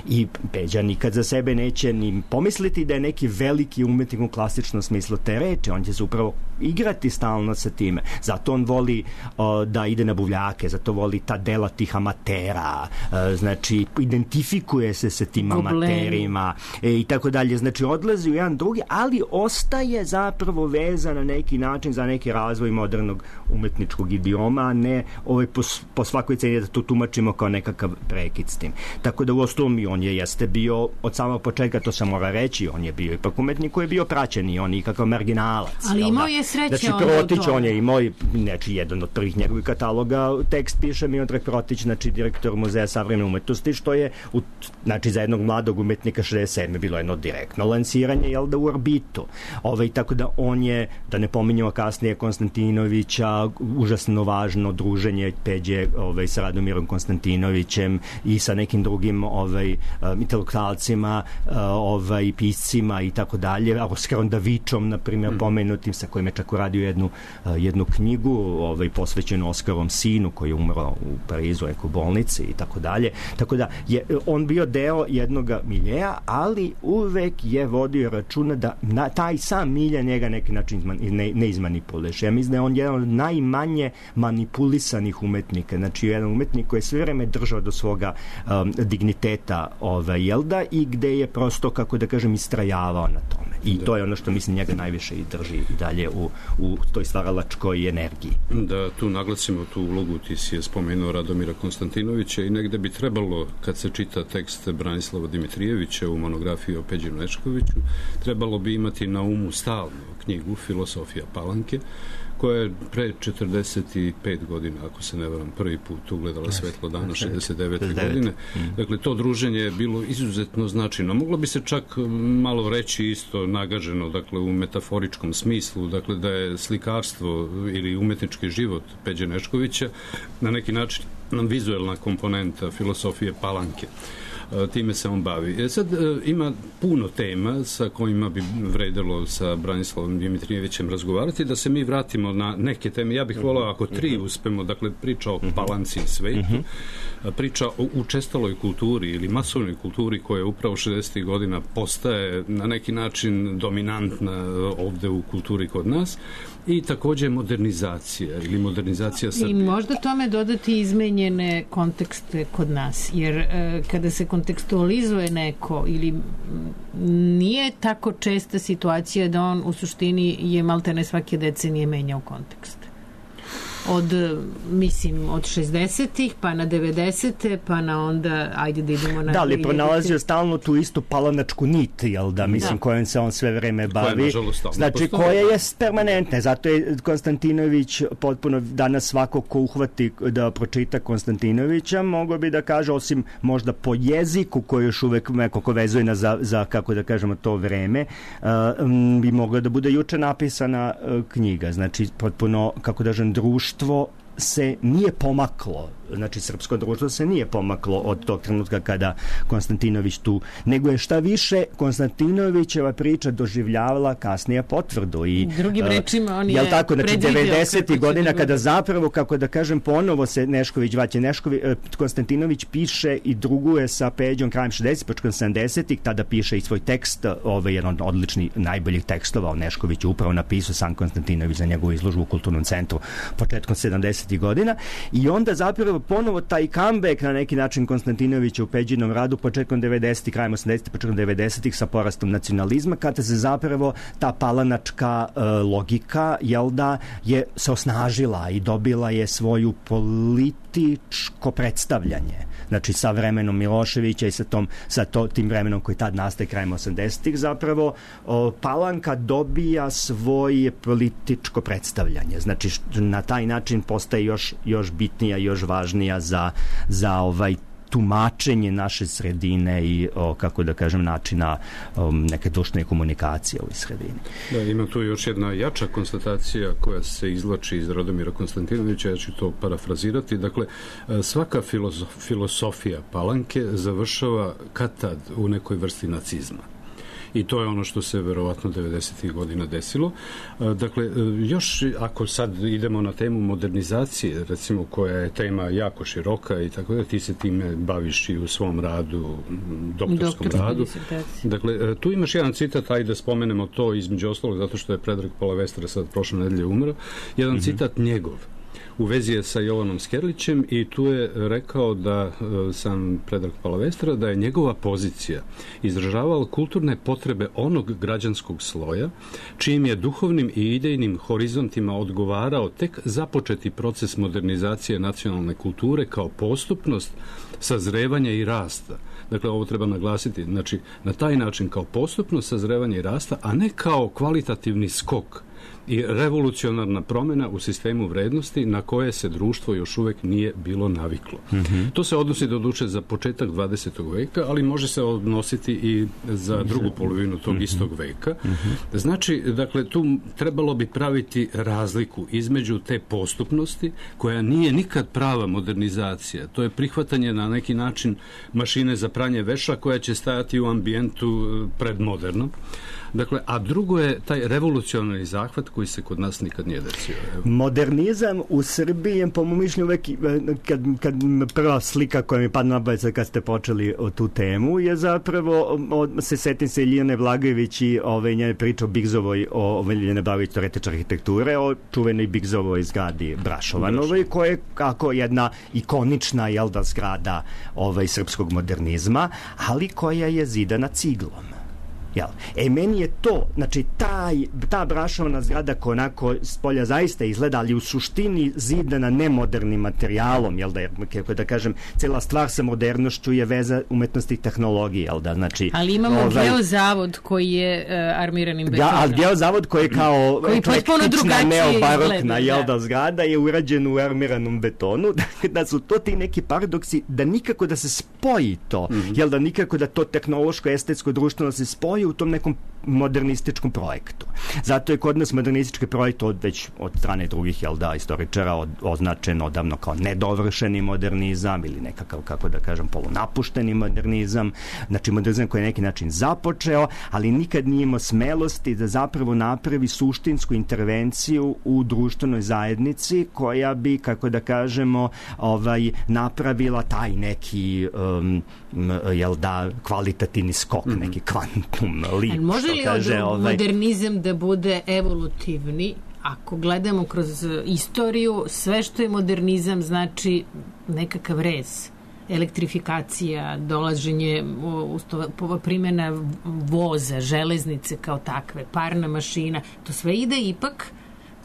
I Peđa nikad za sebe neće ni pomisliti da je neki veliki umetnik u klasičnom smislu te reči. On će se upravo igrati stalno sa time. Zato on voli o, da ide na buvljake, zato voli ta dela tih amatera, e, znači identifikuje se sa tim amaterima e, i tako dalje. Znači odlazi u jedan drugi, ali ostaje zapravo vezan na neki način za neki razvoj modernog umetničkog idioma, a ne ovaj, po, po svakoj ceni da to tumačimo kao nekakav prekid s tim. Tako da u osnovu i on je jeste bio od samog početka, to se mora reći, on je bio ipak umetnik koji je bio praćen i on je ikakav marginalac. Ali imao je sreće znači, Protić, on je imao, znači, jedan od prvih njegovih kataloga, tekst piše Miodrag Protić, znači direktor Muzeja savremene umetnosti, što je, u, znači, za jednog mladog umetnika šezdeset sedme bilo jedno direktno lansiranje, jel da, u orbitu. Ove, tako da on je, da ne pominjamo kasnije Konstantinovića, užasno važno druženje Peđe ovaj, sa Radomirom Konstantinovićem i sa nekim drugim ovaj, intelektualcima, ovaj, piscima i tako dalje, Oskarom Davičom, na primjer, mm. pomenutim, sa kojim je čak uradio jednu, jednu knjigu ovaj, posvećenu Oskarom sinu koji je umro u Parizu, u bolnici i tako dalje. Tako da je on bio deo jednog miljeja, ali uvek je vodio računa da na, taj sam milja njega neki način ne, ne izmanipuleš. Ja mislim da je on jedan od najmanje manipulisanih umetnika. Znači, jedan umetnik koji je sve vreme držao do svoga um, digniteta ovaj, jel da, i gde je prosto, kako da kažem, istrajavao na tome. I da. To je ono što mislim njega najviše i drži i dalje u, u toj stvaralačkoj energiji. Da tu naglasimo tu ulogu, ti si je spomenuo Radomira Konstantinovića i negde bi trebalo, kad se čita tekst Branislava Dimitrijevića u monografiji o Peđi Neškoviću, trebalo bi imati na umu stalno knjigu Filosofija Palanke, koja je pre četrdeset pet godina, ako se ne varam, prvi put ugledala svetlo dana, šezdeset devete godine. Dakle, to druženje je bilo izuzetno značajno. Moglo bi se čak malo reći isto nagaženo, dakle, u metaforičkom smislu, dakle, da je slikarstvo ili umetnički život Peđe Neškovića na neki način vizuelna komponenta filosofije Palanke. Time se on bavi. E sad, ima puno tema sa kojima bi vredelo sa Branislavom Dimitrijevićem razgovarati, da se mi vratimo na neke teme. Ja bih volao ako tri uspemo, dakle, priča o Palanci i svetu, priča o učestaloj kulturi ili masovnoj kulturi koja upravo šezdesetih godina postaje na neki način dominantna ovde u kulturi kod nas, i takođe modernizacija ili modernizacija Srbije. I možda tome dodati izmenjene kontekste kod nas, jer e, kada se kontekstualizuje neko ili nije tako česta situacija da on u suštini je maltene svake decenije menjao kontekst. od, mislim, od šezdesetih pa na devedesete pa na onda, ajde da idemo na... Da, ali pronalazio stalno tu istu palanačku nit, jel da, mislim, da. Kojom se on sve vreme bavi. Znači, koja je permanentna. Zato je Konstantinović potpuno, danas svako ko uhvati da pročita Konstantinovića, mogo bi da kaže, osim možda po jeziku koji još uvek nekako vezuje na za, za, kako da kažemo, to vreme, uh, bi mogla da bude juče napisana uh, knjiga. Znači, potpuno, kako da kažem, društvo se nije pomaklo, znači srpsko društvo se nije pomaklo od tog trenutka kada Konstantinović tu, nego je šta više Konstantinovićeva priča doživljavala kasnije potvrdu i drugim rečima on je, je tako, znači devedesetih godina kada zapravo, kako da kažem, ponovo se Nešković vraća, Nešković, Konstantinović piše i druguje sa Peđom krajem šezdesetih, početkom sedamdesetih, tada piše i svoj tekst, ovaj jedan od odličnih najboljih tekstova o Neškoviću, upravo napisao sam Konstantinović za njegovu izložbu u Kulturnom centru početkom sedamdesetih godina i onda zapravo ponovo taj comeback na neki način Konstantinovića u Peđinom radu početkom devedesetih, krajem osamdesetih, početkom devedesetih sa porastom nacionalizma, kada se zapravo ta palanačka uh, logika, jel da, je se osnažila i dobila je svoju političko predstavljanje. Znači, sa vremenom Miloševića i sa, tom, sa to, tim vremenom koji tad nastaje krajem osamdesetih, zapravo o, Palanka dobija svoje političko predstavljanje. Znači, na taj način postaje još, još bitnija, još važnija za, za ovaj tumačenje naše sredine i, o, kako da kažem, načina o, neke društvene komunikacije u ovoj sredini. Da, ima tu još jedna jača konstatacija koja se izvlači iz Radomira Konstantinovića, ja ću to parafrazirati. Dakle, svaka filozof, filosofija Palanke završava kad tad u nekoj vrsti nacizma. I to je ono što se verovatno devedesetih godina desilo. Dakle, još ako sad idemo na temu modernizacije, recimo, koja je tema jako široka i tako da, ti se time baviš i u svom radu, doktorskom Doktor, radu. Dakle, tu imaš jedan citat, ajde da spomenemo to između ostalog, zato što je Predrag Palavestra sad prošle nedelje umro. Jedan mm-hmm. citat njegov. U vezi je sa Jovanom Skerlićem i tu je rekao da sam Predrag Palavestra da je njegova pozicija izražavala kulturne potrebe onog građanskog sloja čijim je duhovnim i idejnim horizontima odgovarao tek započeti proces modernizacije nacionalne kulture kao postupnost sazrevanja i rasta. Dakle, ovo treba naglasiti, znači na taj način kao postupnost sazrevanja i rasta, a ne kao kvalitativni skok i revolucionarna promjena u sistemu vrednosti na koje se društvo još uvek nije bilo naviklo. Mm-hmm. To se odnosi doduše za početak dvadesetog veka, ali može se odnositi i za drugu polovinu tog mm-hmm. istog veka. Mm-hmm. Znači, dakle, tu trebalo bi praviti razliku između te postupnosti, koja nije nikad prava modernizacija. To je prihvatanje na neki način mašine za pranje veša koja će stajati u ambijentu predmodernom. Dakle, a drugo je taj revolucionarni zahvat koji se kod nas nikad nije desio. Evo. Modernizam u Srbiji je, po mom mišljenju, uvek, kad, kad prva slika koja mi padne na pamet kad ste počeli o tu temu, je zapravo, od, se setim se Ilijane Blagojević i ove njene priče o Bigzovoj, o Ilijane Blagojević, teoretičar arhitekture, o čuvenoj Bigzovoj zgradi Brašovanovoj, koja je kako jedna ikonična, jel da, zgrada ovaj, srpskog modernizma, ali koja je zidana ciglom. Jel? E, meni je to, znači, taj, ta Brašovana zgrada koja onako s polja zaista izgleda, ali u suštini zidana nemodernim materijalom, jel da, je, kako da kažem, cela stvar sa modernošću je veza umetnosti i tehnologije, jel da, znači... Ali imamo ovaj, geozavod koji je uh, armiranim betonom. Ja, ali geozavod koji je kao koji eklektična, neobarokna, jel da, zgrada je urađen u armiranom betonu, da su to ti neki paradoksi, da nikako da se spoji to, mm-hmm. jel da, nikako da to tehnološko, estetsko, društveno se spoji u tom nekom modernističkom projektu. Zato je kod nas modernistički projekt od, već od strane drugih, jel da, istoričara od, označen odavno kao nedovršeni modernizam ili nekakav, kako da kažem, polunapušteni modernizam. Znači, modernizam koji je neki način započeo, ali nikad nije imao smelosti da zapravo napravi suštinsku intervenciju u društvenoj zajednici koja bi, kako da kažemo, ovaj, napravila taj neki um, jel da, kvalitativni skok, mm-hmm. neki kvantum leap. Može li kaže, ovaj... modernizam da bude evolutivni? Ako gledamo kroz istoriju, sve što je modernizam znači nekakav rez, elektrifikacija, dolaženje, primjena voza, železnice kao takve, parna mašina, to sve ide ipak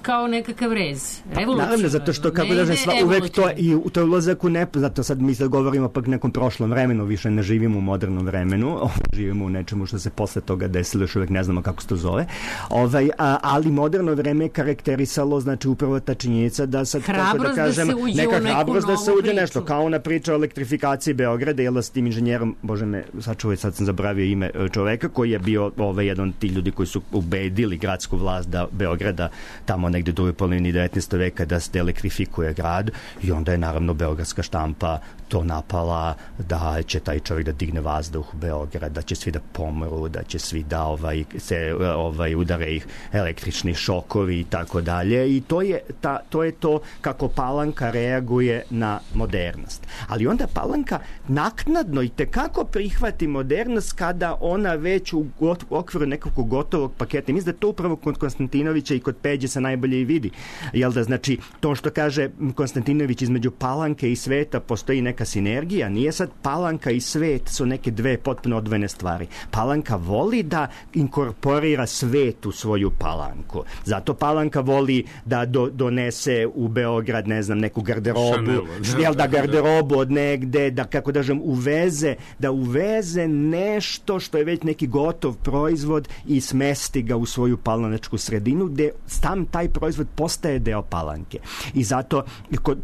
kao nekakav rez. Revolucionarno. Naravno, zato što, kako da sva, uvek to, i to je ulazak u nepoznato. Sad mi sad govorimo pak nekom prošlom vremenu, više ne živimo u modernom vremenu, živimo u nečemu što se posle toga desilo, još uvek ne znamo kako se to zove. Ovaj, a, ali moderno vreme je karakterisalo, znači, upravo ta činjenica da sad, hrabrost kako da kažem, da se uđe neka u neku hrabrost da se uđe priču. nešto, kao ona priča o elektrifikaciji Beograda, jel da s tim inženjerom, bože me, sačuvaj, sad sam zabravio ime čoveka, koji je bio ovaj, jedan od ti ljudi koji su ubedili gradsku vlast da Beograda tamo negde u drugoj polovini devetnaestog veka da se elektrifikuje grad, i onda je naravno beogradska štampa to napala da će taj čovjek da digne vazduh u Beograd, da će svi da pomru, da će svi da ovaj, se ovaj, udare ih električni šokovi i tako dalje, i to je, ta, to je to kako Palanka reaguje na modernost. Ali onda Palanka naknadno i tekako prihvati modernost kada ona već u, u okviru nekog gotovog paketa. Mislim da to upravo kod Konstantinovića i kod Peđe se najbolje i vidi. Jel da, znači, to što kaže Konstantinović, između Palanke i sveta postoji neka sinergija, nije sad Palanka i svet su neke dve potpuno odvojene stvari. Palanka voli da inkorporira svet u svoju Palanku. Zato Palanka voli da do, donese u Beograd, ne znam, neku garderobu, jel da, garderobu od negde, da, kako da žem, uveze, da uveze nešto što je već neki gotov proizvod i smesti ga u svoju palanačku sredinu, gde tam taj proizvod postaje deo Palanke. I zato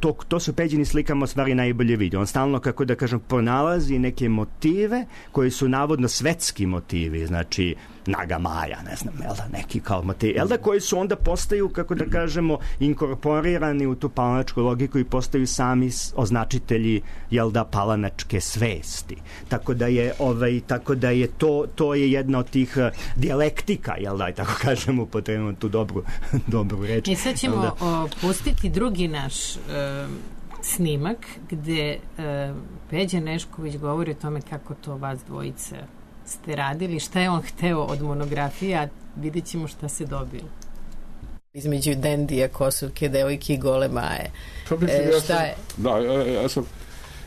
to, to su Peđini slikama stvari najbolje vidi. On stalno, kako da kažem, pronalazi neke motive koji su navodno svetski motivi, znači Naga Maja, ne znam, jel da, neki kao motivi, jel da, koji su onda postaju, kako da kažemo, inkorporirani u tu palanačku logiku i postaju sami označitelji, jel da, palanačke svesti. Tako da je, ovaj, tako da je to, to je jedna od tih uh, dijalektika, jel da, tako kažemo, upotrebujemo tu dobru, dobru reč. I sad ćemo da o, pustiti drugi naš uh, snimak gde uh, Peđa Nešković govori o tome kako to vas dvojice ste radili, šta je on hteo od monografije, a vidjet ćemo šta se dobilo. Između Dendija, Kosovke, devojke i Gole Maje. E, ja šta sam, je? Da, ja, ja sam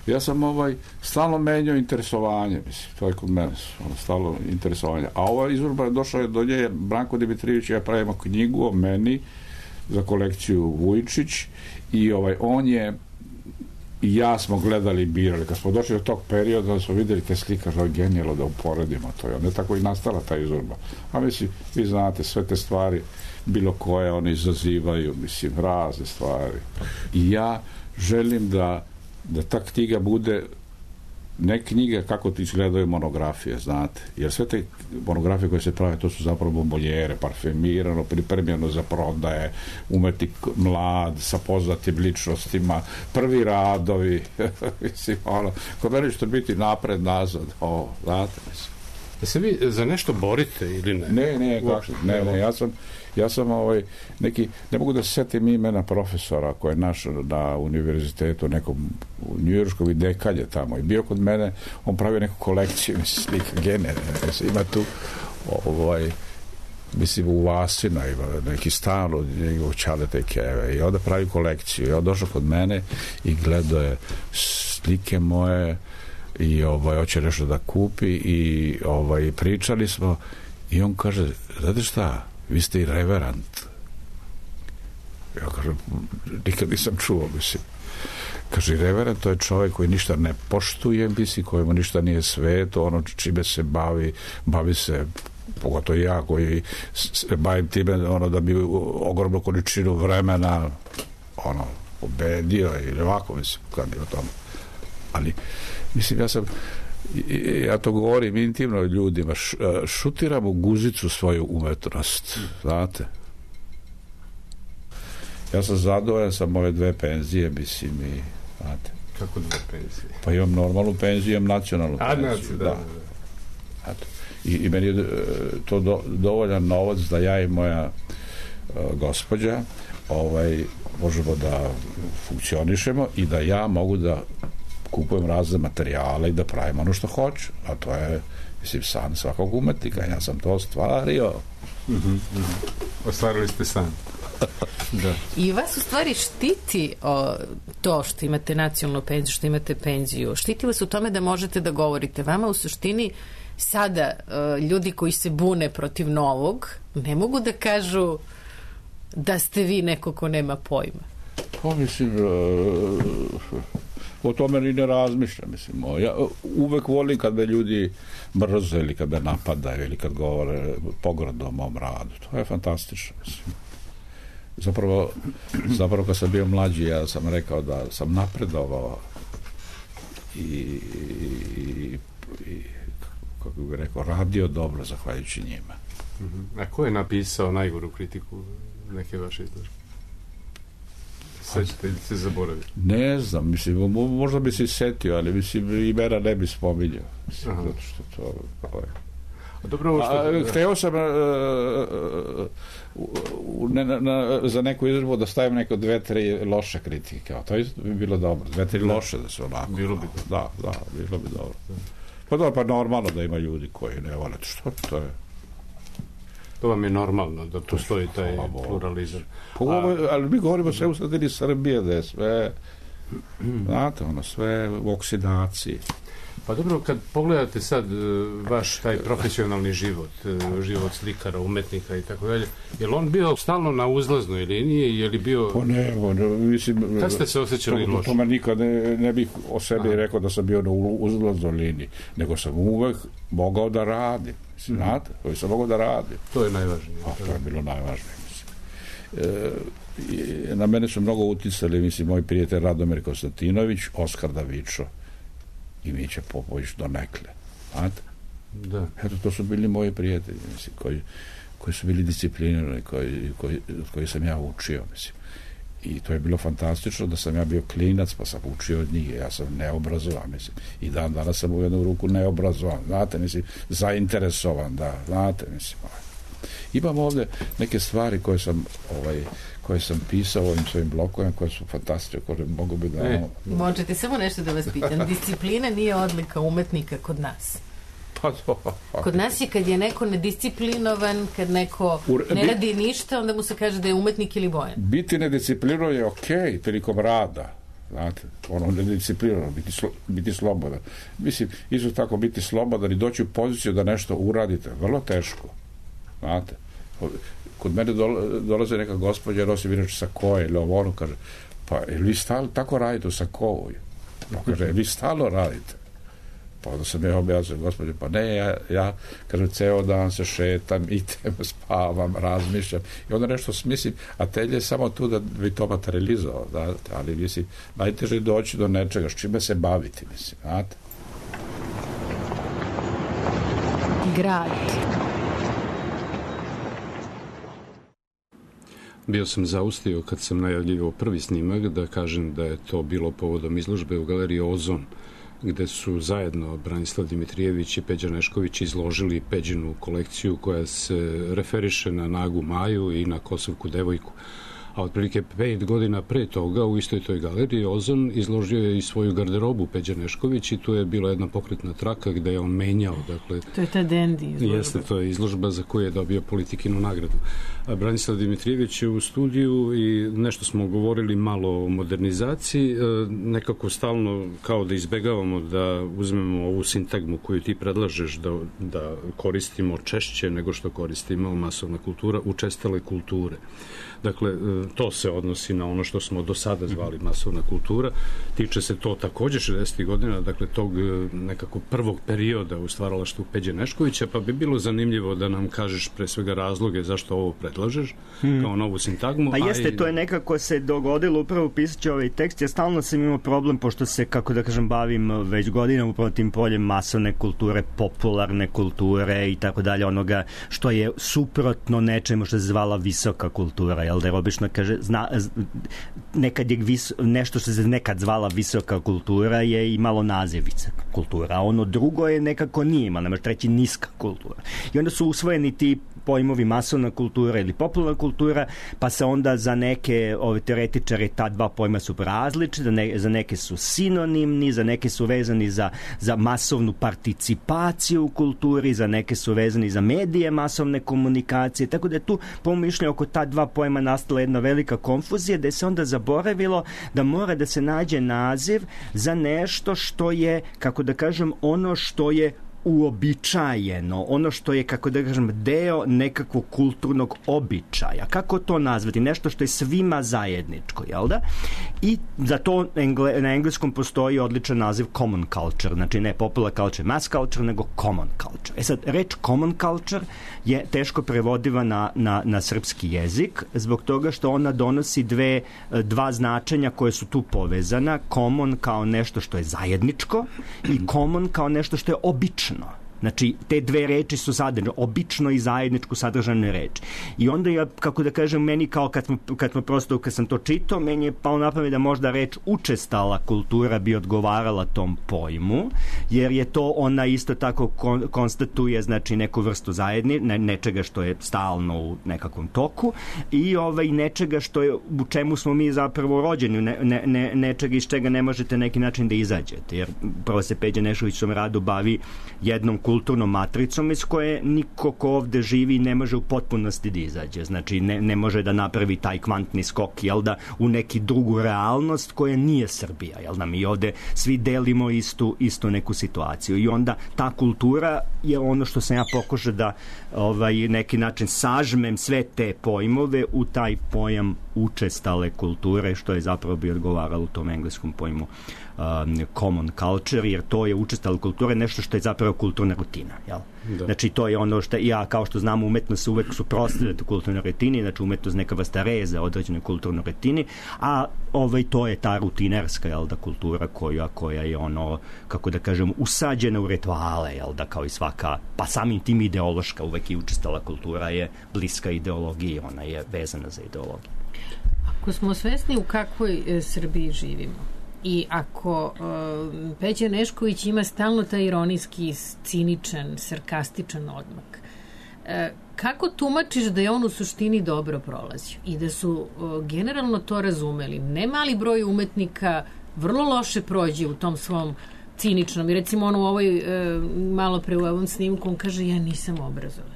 ja sam ovaj, stalno menjao interesovanje, mislim, to je kod mene, ono, stalno interesovanje. A ova izvorba je došla do nje, Branko Dimitrijević, ja pravimo knjigu o meni za kolekciju Vujčić, i ovaj, on je i ja smo gledali i birali. Kad smo došli do tog perioda, da smo vidjeli te slika, što je genijalo da uporedimo to. I onda je tako i nastala ta izvorba. A mislim, vi znate, sve te stvari, bilo koje, one izazivaju, mislim, razne stvari. I ja želim da, da ta knjiga bude ne knjiga kako ti izgledaju monografije, znate. Jer sve te monografije koje se prave, to su zapravo bomboljere, parfemirano, pripremljeno za prodaje, umetnik mlad, sa poznatim ličnostima, prvi radovi, mislim, ono, kod mene će biti napred, nazad, o, znate, mislim. Da se vi za nešto borite ili ne? Ne, ne, kako, ne, ne, ja sam, ja sam ovaj, neki, ne mogu da se setim imena profesora koji je naš na univerzitetu, nekom u njujorškom i dekalje tamo, i bio kod mene, on pravio neku kolekciju, mislim, slika genere, ima tu, ovaj, mislim, u Vasina ima neki stan od njegovog Čaleta i Keve, i onda pravi kolekciju, i on došao kod mene i gledao je slike moje, i ovaj, hoće nešto da kupi, i ovaj, pričali smo, i on kaže, znate šta, vi ste i reverend. Ja kažem, nikad nisam čuo, mislim. Kaže, reverend, to je čovjek koji ništa ne poštuje, mislim, kojemu ništa nije sveto, ono čime se bavi, bavi se, pogotovo ja koji se bavim time, ono, da bi ogromnu količinu vremena, ono, pobedio ili ovako, mislim, kad je o tome. Ali, mislim, ja sam, ja to govorim intimno ljudima, šutiram u guzicu svoju umetnost, znate. Ja sam zadovoljan sa ove dve penzije, mislim, i, znate. Kako dve penzije? Pa imam normalnu penziju, imam nacionalnu A, penziju, da, da. da. I, I meni je to do, dovoljan novac da ja i moja uh, gospođa ovaj, možemo da funkcionišemo i da ja mogu da kupujem razne materijale i da pravim ono što hoću, a to je, mislim, san svakog umetnika. Ja sam to ostvario. Mm-hmm, mm-hmm. Ostvarili ste san. Da. I vas u stvari štiti o, to što imate nacionalnu penziju, što imate penziju, štiti vas u tome da možete da govorite. Vama u suštini sada uh, ljudi koji se bune protiv novog ne mogu da kažu da ste vi neko ko nema pojma? Pa mislim, o tome ni ne razmišljam. Mislim, ja uvek volim kad me ljudi mrze ili kad me napadaju ili kad govore pogrdno o mom radu. To je fantastično. Mislim. Zapravo, zapravo kad sam bio mlađi, ja sam rekao da sam napredovao i, i, i kako bih rekao, radio dobro zahvaljujući njima. A ko je napisao najgoru kritiku neke vaše izložbe? Sećate ili se zaboravili? Ne znam, mislim, možda bi se setio, ali mislim, imena ne bi spominjao. Mislim, zato što to... to je. A dobro, ovo što... A, hteo sam uh, uh, ne, na, na, za neku izložbu da stavim neko dve, tri loše kritike. To bi bilo dobro. Dve, tri loše da se onako... Bilo bi dobro. Da, da, bilo bi dobro. Pa dobro, pa normalno da ima ljudi koji ne vole. Što to je? To vam je normalno da postoji taj pluralizam. Pa, ovo, ali mi govorimo sve u sredini Srbije, da je sve, znate, ono, sve u oksidaciji. Pa dobro, kad pogledate sad vaš taj profesionalni život, život slikara, umetnika i tako dalje, je li on bio stalno na uzlaznoj liniji, je li bio... Pa ne, ne mislim... Kad ste se osjećali to, loše? To, to nikad ne, ne bih o sebi Aha. rekao da sam bio na uzlaznoj liniji, nego sam uvek mogao da radim. Mislim, mm. znate, koji sam mogao da radim. To je najvažnije. A, to je bilo najvažnije, mislim. E, na mene su mnogo uticali, mislim, moj prijatelj Radomir Konstantinović, Oskar Davičo i Mića Popović donekle. Znate? Da. Eto, to su bili moji prijatelji, mislim, koji, koji su bili disciplinirani, koji, koji, koji sam ja učio, mislim. I to je bilo fantastično da sam ja bio klinac, pa sam učio od njih. Ja sam neobrazovan, mislim. I dan danas sam u jednu ruku neobrazovan, znate, mislim, zainteresovan, da, znate, mislim. Imam ovde neke stvari koje sam, ovaj, koje sam pisao ovim svojim blokovima, koje su fantastične, koje mogu bi da... E. Možete samo nešto da vas pitam. Disciplina nije odlika umetnika kod nas. Pa to, pa. Kod nas je kad je neko nedisciplinovan, kad neko ne radi ništa, onda mu se kaže da je umetnik ili bojan. Biti nedisciplinovan je okej okay, prilikom rada. Znate, ono nedisciplinovan, biti, slo, biti slobodan. Mislim, isto tako biti slobodan i doći u poziciju da nešto uradite. Vrlo teško. Znate, kod mene dolaze neka gospođa, nosi inače sakoje ili ovo, ono kaže, pa vi stalno tako radite u sakovu? Pa kaže, vi stalno radite. Pa onda sam ja objasnio, gospođe, pa ne, ja, ja kažem, ceo dan se šetam, idem, spavam, razmišljam i onda nešto smislim, a telje je samo tu da bi to materializovao, da, ali mislim, najteže je doći do nečega, s čime se baviti, mislim, znate. Grad. Bio sam zaustio kad sam najavljivao prvi snimak da kažem da je to bilo povodom izložbe u galeriji Ozon, gde su zajedno Branislav Dimitrijević i Peđa Nešković izložili Peđinu kolekciju koja se referiše na Nagu Maju i na Kosovku devojku. A otprilike pet godina pre toga u istoj toj galeriji Ozon izložio je i svoju garderobu Peđa Nešković i tu je bila jedna pokretna traka gde je on menjao. Dakle, to je ta Dendi izložba. Jeste, to je izložba za koju je dobio Politikinu nagradu. A Branislav Dimitrijević je u studiju i nešto smo govorili malo o modernizaciji, nekako stalno kao da izbegavamo da uzmemo ovu sintagmu koju ti predlažeš da, da koristimo češće nego što koristimo masovna kultura, učestale kulture. Dakle, to se odnosi na ono što smo do sada zvali masovna kultura. Tiče se to takođe šezdesetih godina, dakle, tog nekako prvog perioda u stvaralaštvu Peđe Neškovića, pa bi bilo zanimljivo da nam kažeš pre svega razloge zašto ovo predlažeš hmm. kao novu sintagmu. Pa jeste, i... to je nekako se dogodilo upravo pisaći ovaj tekst. Ja stalno sam imao problem, pošto se, kako da kažem, bavim već godina upravo tim poljem masovne kulture, popularne kulture i tako dalje, onoga što je suprotno nečemu što se zvala visoka kultura, jel da je obično kaže, zna, nekad je vis, nešto što se nekad zvala visoka kultura je imalo naziv visoka kultura, a ono drugo je nekako nije imalo, ne možeš reći niska kultura. I onda su usvojeni ti pojmovi masovna kultura ili popularna kultura, pa se onda za neke ove teoretičare ta dva pojma su različite, ne, za neke su sinonimni, za neke su vezani za, za masovnu participaciju u kulturi, za neke su vezani za medije masovne komunikacije, tako da je tu po mišljenju oko ta dva pojma nastala jedna velika konfuzija, da je se onda zaboravilo da mora da se nađe naziv za nešto što je, kako da kažem, ono što je uobičajeno, ono što je, kako da kažem, deo nekakvog kulturnog običaja. Kako to nazvati? Nešto što je svima zajedničko, jel da? I za to engle, na engleskom postoji odličan naziv common culture, znači ne popular culture, mass culture, nego common culture. E sad, reč common culture je teško prevodiva na, na, na srpski jezik, zbog toga što ona donosi dve, dva značenja koje su tu povezana. Common kao nešto što je zajedničko i common kao nešto što je obično. Znači, te dve reči su sadržane, obično i zajedničku sadržane reči. I onda ja, kako da kažem, meni kao kad smo, kad smo prosto, kad sam to čitao, meni je pao na pamet da možda reč učestala kultura bi odgovarala tom pojmu, jer je to ona isto tako kon, konstatuje, znači, neku vrstu zajedni, ne, nečega što je stalno u nekakvom toku i ovaj, nečega što je, u čemu smo mi zapravo rođeni, ne, ne, ne, nečega iz čega ne možete neki način da izađete, jer prvo se Peđa Nešović svom radu bavi jednom kulturnom matricom iz koje niko ko ovde živi ne može u potpunosti da izađe. Znači, ne, ne može da napravi taj kvantni skok, jel da, u neki drugu realnost koja nije Srbija, jel da, mi ovde svi delimo istu, istu neku situaciju i onda ta kultura je ono što sam ja pokušao da ovaj, neki način sažmem sve te pojmove u taj pojam učestale kulture, što je zapravo bi odgovaralo u tom engleskom pojmu um, common culture, jer to je učestala kultura, nešto što je zapravo kulturna rutina, jel? Da. Znači, to je ono što, ja, kao što znamo, umetnost se uvek suprotstavlja kulturnoj rutini, znači umetnost neka vrsta reza određenoj kulturnoj rutini, a ovaj, to je ta rutinerska, jel da, kultura koja, koja je ono, kako da kažem, usađena u rituale, jel da, kao i svaka, pa samim tim ideološka, uvek i učestala kultura je bliska ideologiji, ona je vezana za ideologiju. Ako smo svesni u kakvoj e, Srbiji živimo i ako e, Peđa Nešković ima stalno taj ironijski, ciničan, sarkastičan odmak, e, kako tumačiš da je on u suštini dobro prolazio i da su e, generalno to razumeli? Ne mali broj umetnika vrlo loše prođe u tom svom ciničnom i recimo on u ovoj e, malo pre u ovom snimku on kaže ja nisam obrazovan.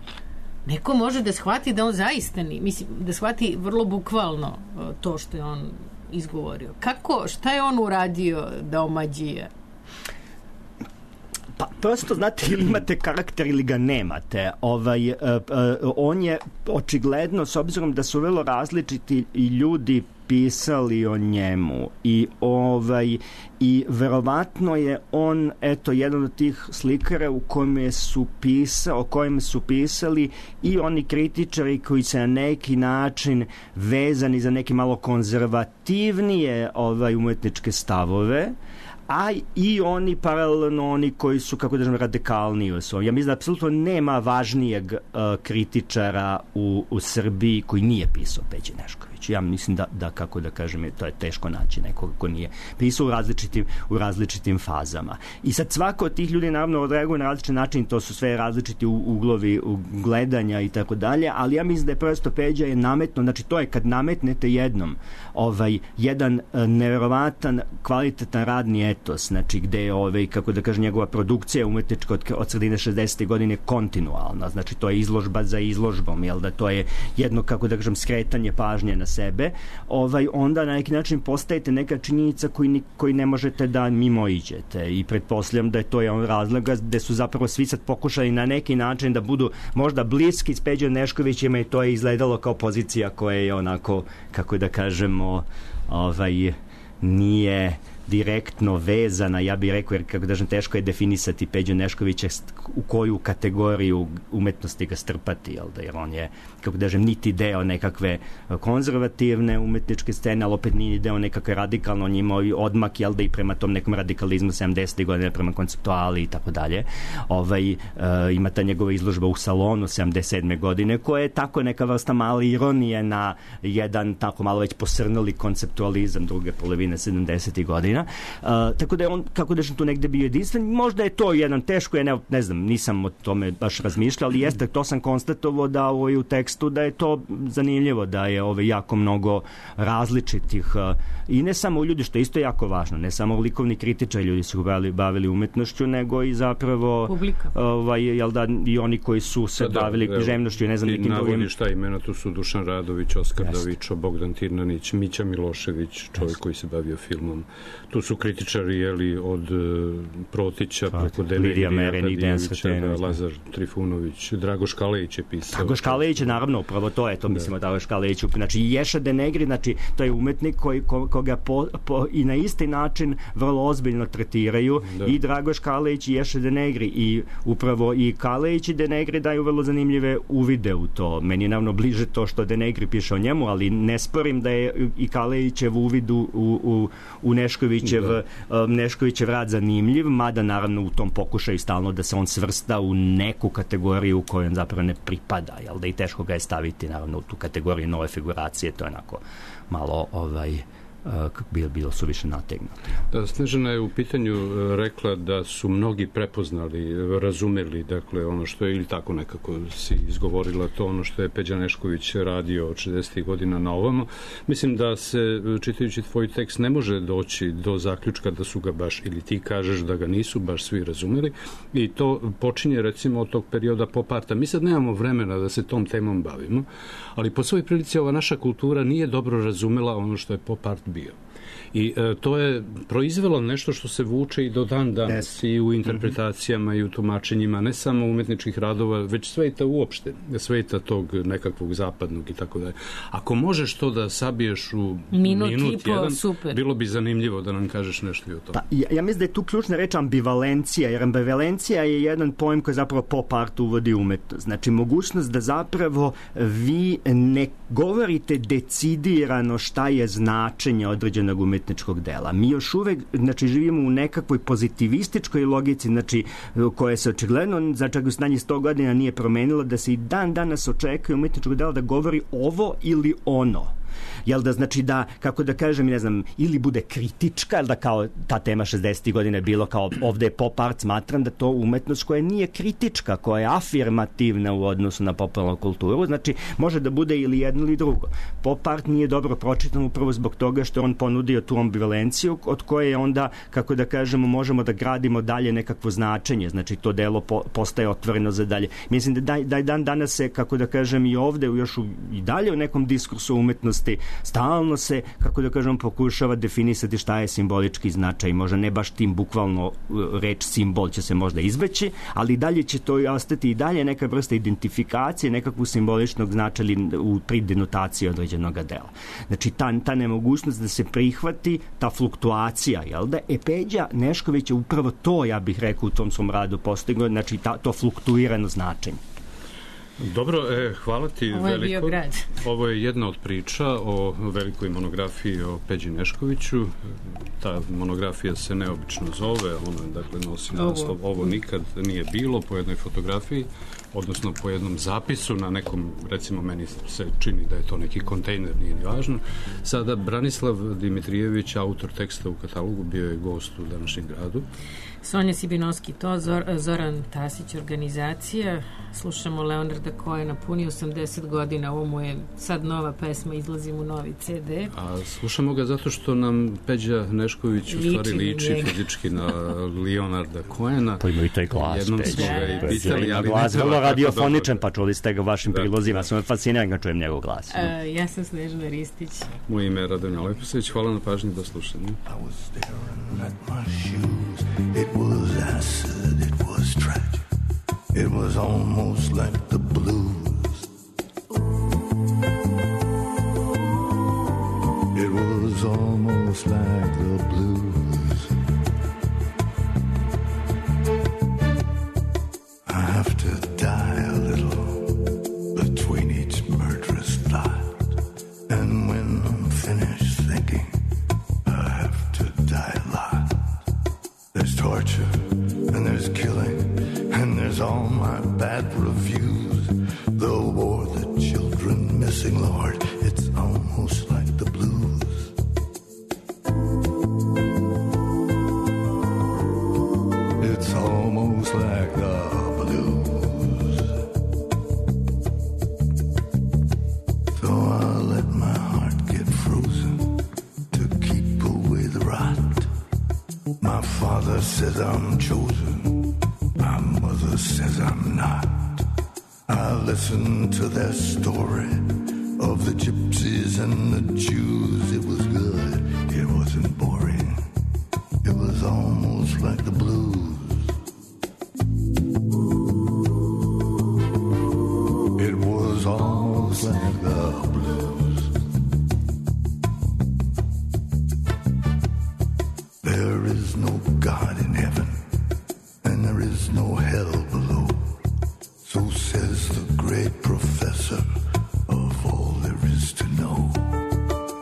Neko može da shvati da on zaista ni, mislim, da shvati vrlo bukvalno to što je on izgovorio. Kako, šta je on uradio da omađije? Pa prosto, znate, ili imate karakter ili ga nemate. Ovaj, uh, uh, on je očigledno, s obzirom da su vrlo različiti i ljudi pisali o njemu i ovaj i verovatno je on eto jedan od tih slikara u kome su pisao, o kojem su pisali i oni kritičari koji se na neki način vezani za neke malo konzervativnije ovaj umetničke stavove, a i oni paralelno oni koji su, kako da kažem, radikalniji. Ja mislim da apsolutno nema važnijeg uh, kritičara u, u Srbiji koji nije pisao Peđe Nešković. Ja mislim da, da, kako da kažem, to je teško naći nekoga ko nije pisao u različitim, u različitim fazama. I sad svako od tih ljudi naravno odreaguje na različit način, to su sve različiti uglovi gledanja i tako dalje, ali ja mislim da je prosto Peđa je nametno, znači to je kad nametnete jednom ovaj, jedan uh, neverovatan, kvalitetan radni etos, znači gde je, ovaj, kako da kažem, njegova produkcija umetnička od, od sredine šezdesetih godine kontinualna, znači to je izložba za izložbom, jel da, to je jedno, kako da kažem, skretanje pažnje na sebe, ovaj, onda na neki način postajete neka činjenica koji, koji ne možete da mimo iđete i pretpostavljam da je to jedan razloga gde su zapravo svi sad pokušali na neki način da budu možda bliski s Peđom Neškovićima i to je izgledalo kao pozicija koja je onako, kako da kažemo, ovaj, nije direktno vezana, ja bih rekao, jer kako kažem, teško je definisati Peđu Neškovića u koju kategoriju umetnosti ga strpati, jel da, jer on je, kako kažem, niti deo nekakve konzervativne umetničke scene, ali opet nije deo nekakve radikalno, on je imao i odmak, jel da, i prema tom nekom radikalizmu sedamdesetih godina, prema konceptuali i tako dalje. Ovaj, uh, ima ta njegova izložba u salonu sedamdeset sedme godine, koja je tako neka vrsta male ironije na jedan tako malo već posrnuli konceptualizam druge polovine sedamdesetih godina. Uh, tako da je on, kako da sam tu negde bio jedinstven, možda je to jedan teško, je, ne, ne znam, nisam o tome baš razmišljao, ali jeste, to sam konstatovao da ovaj, u tekstu da je to zanimljivo, da je ovaj, jako mnogo različitih uh, i ne samo ljudi, što je isto jako važno, ne samo likovni kritičari, ljudi su bavili, bavili umetnošću, nego i zapravo publika. Ovaj, jel da, i oni koji su se da, bavili da, književnošću, ne znam, i nekim drugim. Navodi šta imena, tu su Dušan Radović, Oskar Davičo, Bogdan Tirnanić, Mića Milošević, čovjek Jeste. Koji se bavio filmom. Tu su kritičari, jeli, od Protića, pa, preko Lidija Merenik, Dejan Sretenović, Lazar Trifunović, Dragoš Kalejić je pisao. Dragoš Kalejić je, naravno, upravo to je, to da. Mislimo Dragoš Kalejić. Znači, Ješa Denegri, znači, to je umetnik koji, ko, koga po, po, i na isti način vrlo ozbiljno tretiraju da. I Dragoš Kalejić i Ješa Denegri. I upravo i Kalejić i Denegri daju vrlo zanimljive uvide u to. Meni je naravno bliže to što Denegri piše o njemu, ali ne sporim da je i Kalejićev uvid u, u, u Neškovićev, da. Neškovićev rad zanimljiv, mada naravno u tom pokušaju stalno da se on svrsta u neku kategoriju u kojoj on zapravo ne pripada, jel da i teško ga je staviti naravno u tu kategoriju nove figuracije, to je onako malo ovaj kako bi bilo suviše nategnuto. Da, Snežana je u pitanju rekla da su mnogi prepoznali, razumeli, dakle, ono što je, ili tako nekako si izgovorila to, ono što je Peđa Nešković radio od šezdesetih godina na ovamo. Mislim da se, čitajući tvoj tekst, ne može doći do zaključka da su ga baš, ili ti kažeš da ga nisu baš svi razumeli, i to počinje, recimo, od tog perioda pop arta. Mi sad nemamo vremena da se tom temom bavimo, ali po svoj prilici ova naša kultura nije dobro razumela ono što je pop art bio. I e, to je proizvelo nešto što se vuče i do dan danas, yes. I u interpretacijama mm-hmm. i u tumačenjima, ne samo umetničkih radova, već sveta uopšte, sveta tog nekakvog zapadnog i tako dalje. Ako možeš to da sabiješ u minut, minut jedan, super. Bilo bi zanimljivo da nam kažeš nešto i o tome. Pa, ja, ja mislim da je tu ključna reč ambivalencija, jer ambivalencija je jedan pojem koji zapravo pop art uvodi umetnost. Znači, mogućnost da zapravo vi ne govorite decidirano šta je značenje određenog umetničkog dela. Mi još uvek, znači, živimo u nekakvoj pozitivističkoj logici, znači, koja se očigledno za čak u stanji sto godina nije promenila, da se i dan danas očekuje umetničkog dela da govori ovo ili ono. Jel da, znači da, kako da kažem, ne znam, ili bude kritička, jel da kao ta tema šezdesetih godina je bilo kao ovde je pop art, smatram da to umetnost koja nije kritička, koja je afirmativna u odnosu na popularnu kulturu, znači može da bude ili jedno ili drugo. Pop art nije dobro pročitan upravo zbog toga što on ponudio tu ambivalenciju od koje onda, kako da kažemo, možemo da gradimo dalje nekakvo značenje, znači to delo po, postaje otvoreno za dalje. Mislim da daj, daj dan danas se, kako da kažem, i ovde još u, i dalje u nekom diskursu umetnosti stalno se, kako da kažem, pokušava definisati šta je simbolički značaj. Možda ne baš tim bukvalno reč simbol će se možda izbeći, ali dalje će to ostati i dalje neka vrsta identifikacije, nekakvu simboličnog značaja u pridenotaciji određenog dela. Znači, ta, ta nemogućnost da se prihvati ta fluktuacija, jel da? E, Peđa Nešković je upravo to, ja bih rekao, u tom svom radu postigao, znači ta, to fluktuirano značenje. Dobro, e, hvala ti Ovo je veliko. Bio grad. Ovo je jedna od priča o velikoj monografiji o Peđi Neškoviću. Ta monografija se neobično zove, ona, dakle, nosi naslov Ovo nikad nije bilo, po jednoj fotografiji, odnosno po jednom zapisu na nekom, recimo, meni se čini da je to neki kontejner, nije ni važno. Sada Branislav Dimitrijević, autor teksta u katalogu, bio je gost u današnjem gradu. Sonja Sibinovski, to, Zor, Zoran Tasić, organizacija. Slušamo Leonarda Cohena, puni osamdeset godina, ovo mu je sad nova pesma, izlazi mu novi ce de. A slušamo ga zato što nam Peđa Nešković u stvari liči njega. Fizički na Leonarda Cohena. To ima i taj glas. Jednom Peđa. smo ga i pitali, ali glas, vrlo radiofoničan, pa čuli ste ga u vašim da, prilozima, da. Sam fasciniran ga čujem njegov glas. Uh, ja sam Snežana Ristić. Moje ime je Radomir Leposević, hvala na pažnji, do slušanja. I was staring at my shoes. It was acid, it was tragic. It was almost like the blues. It was almost like the blues. I have to die a little between each murderous thought. And when I'm finished thinking, I have to die a lot. There's torture, and there's killing, and there's all my bad reviews. The war, the children missing, Lord, it's almost like the blues. It's almost like the blues. So I'll let my heart get frozen to keep away the rot. My father says I'm chosen, my mother says I'm not. I listen to their story of the gypsies and the Jews. It was good, it wasn't boring. God in heaven, and there is no hell below. So says the great professor of all there is to know.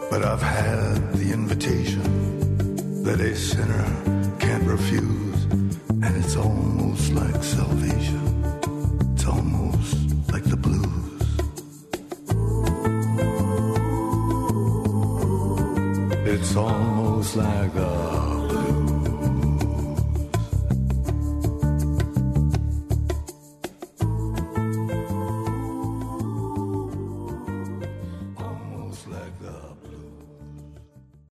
But I've had the invitation that a sinner can't refuse, and it's almost like salvation. It's almost like the blues. It's almost like a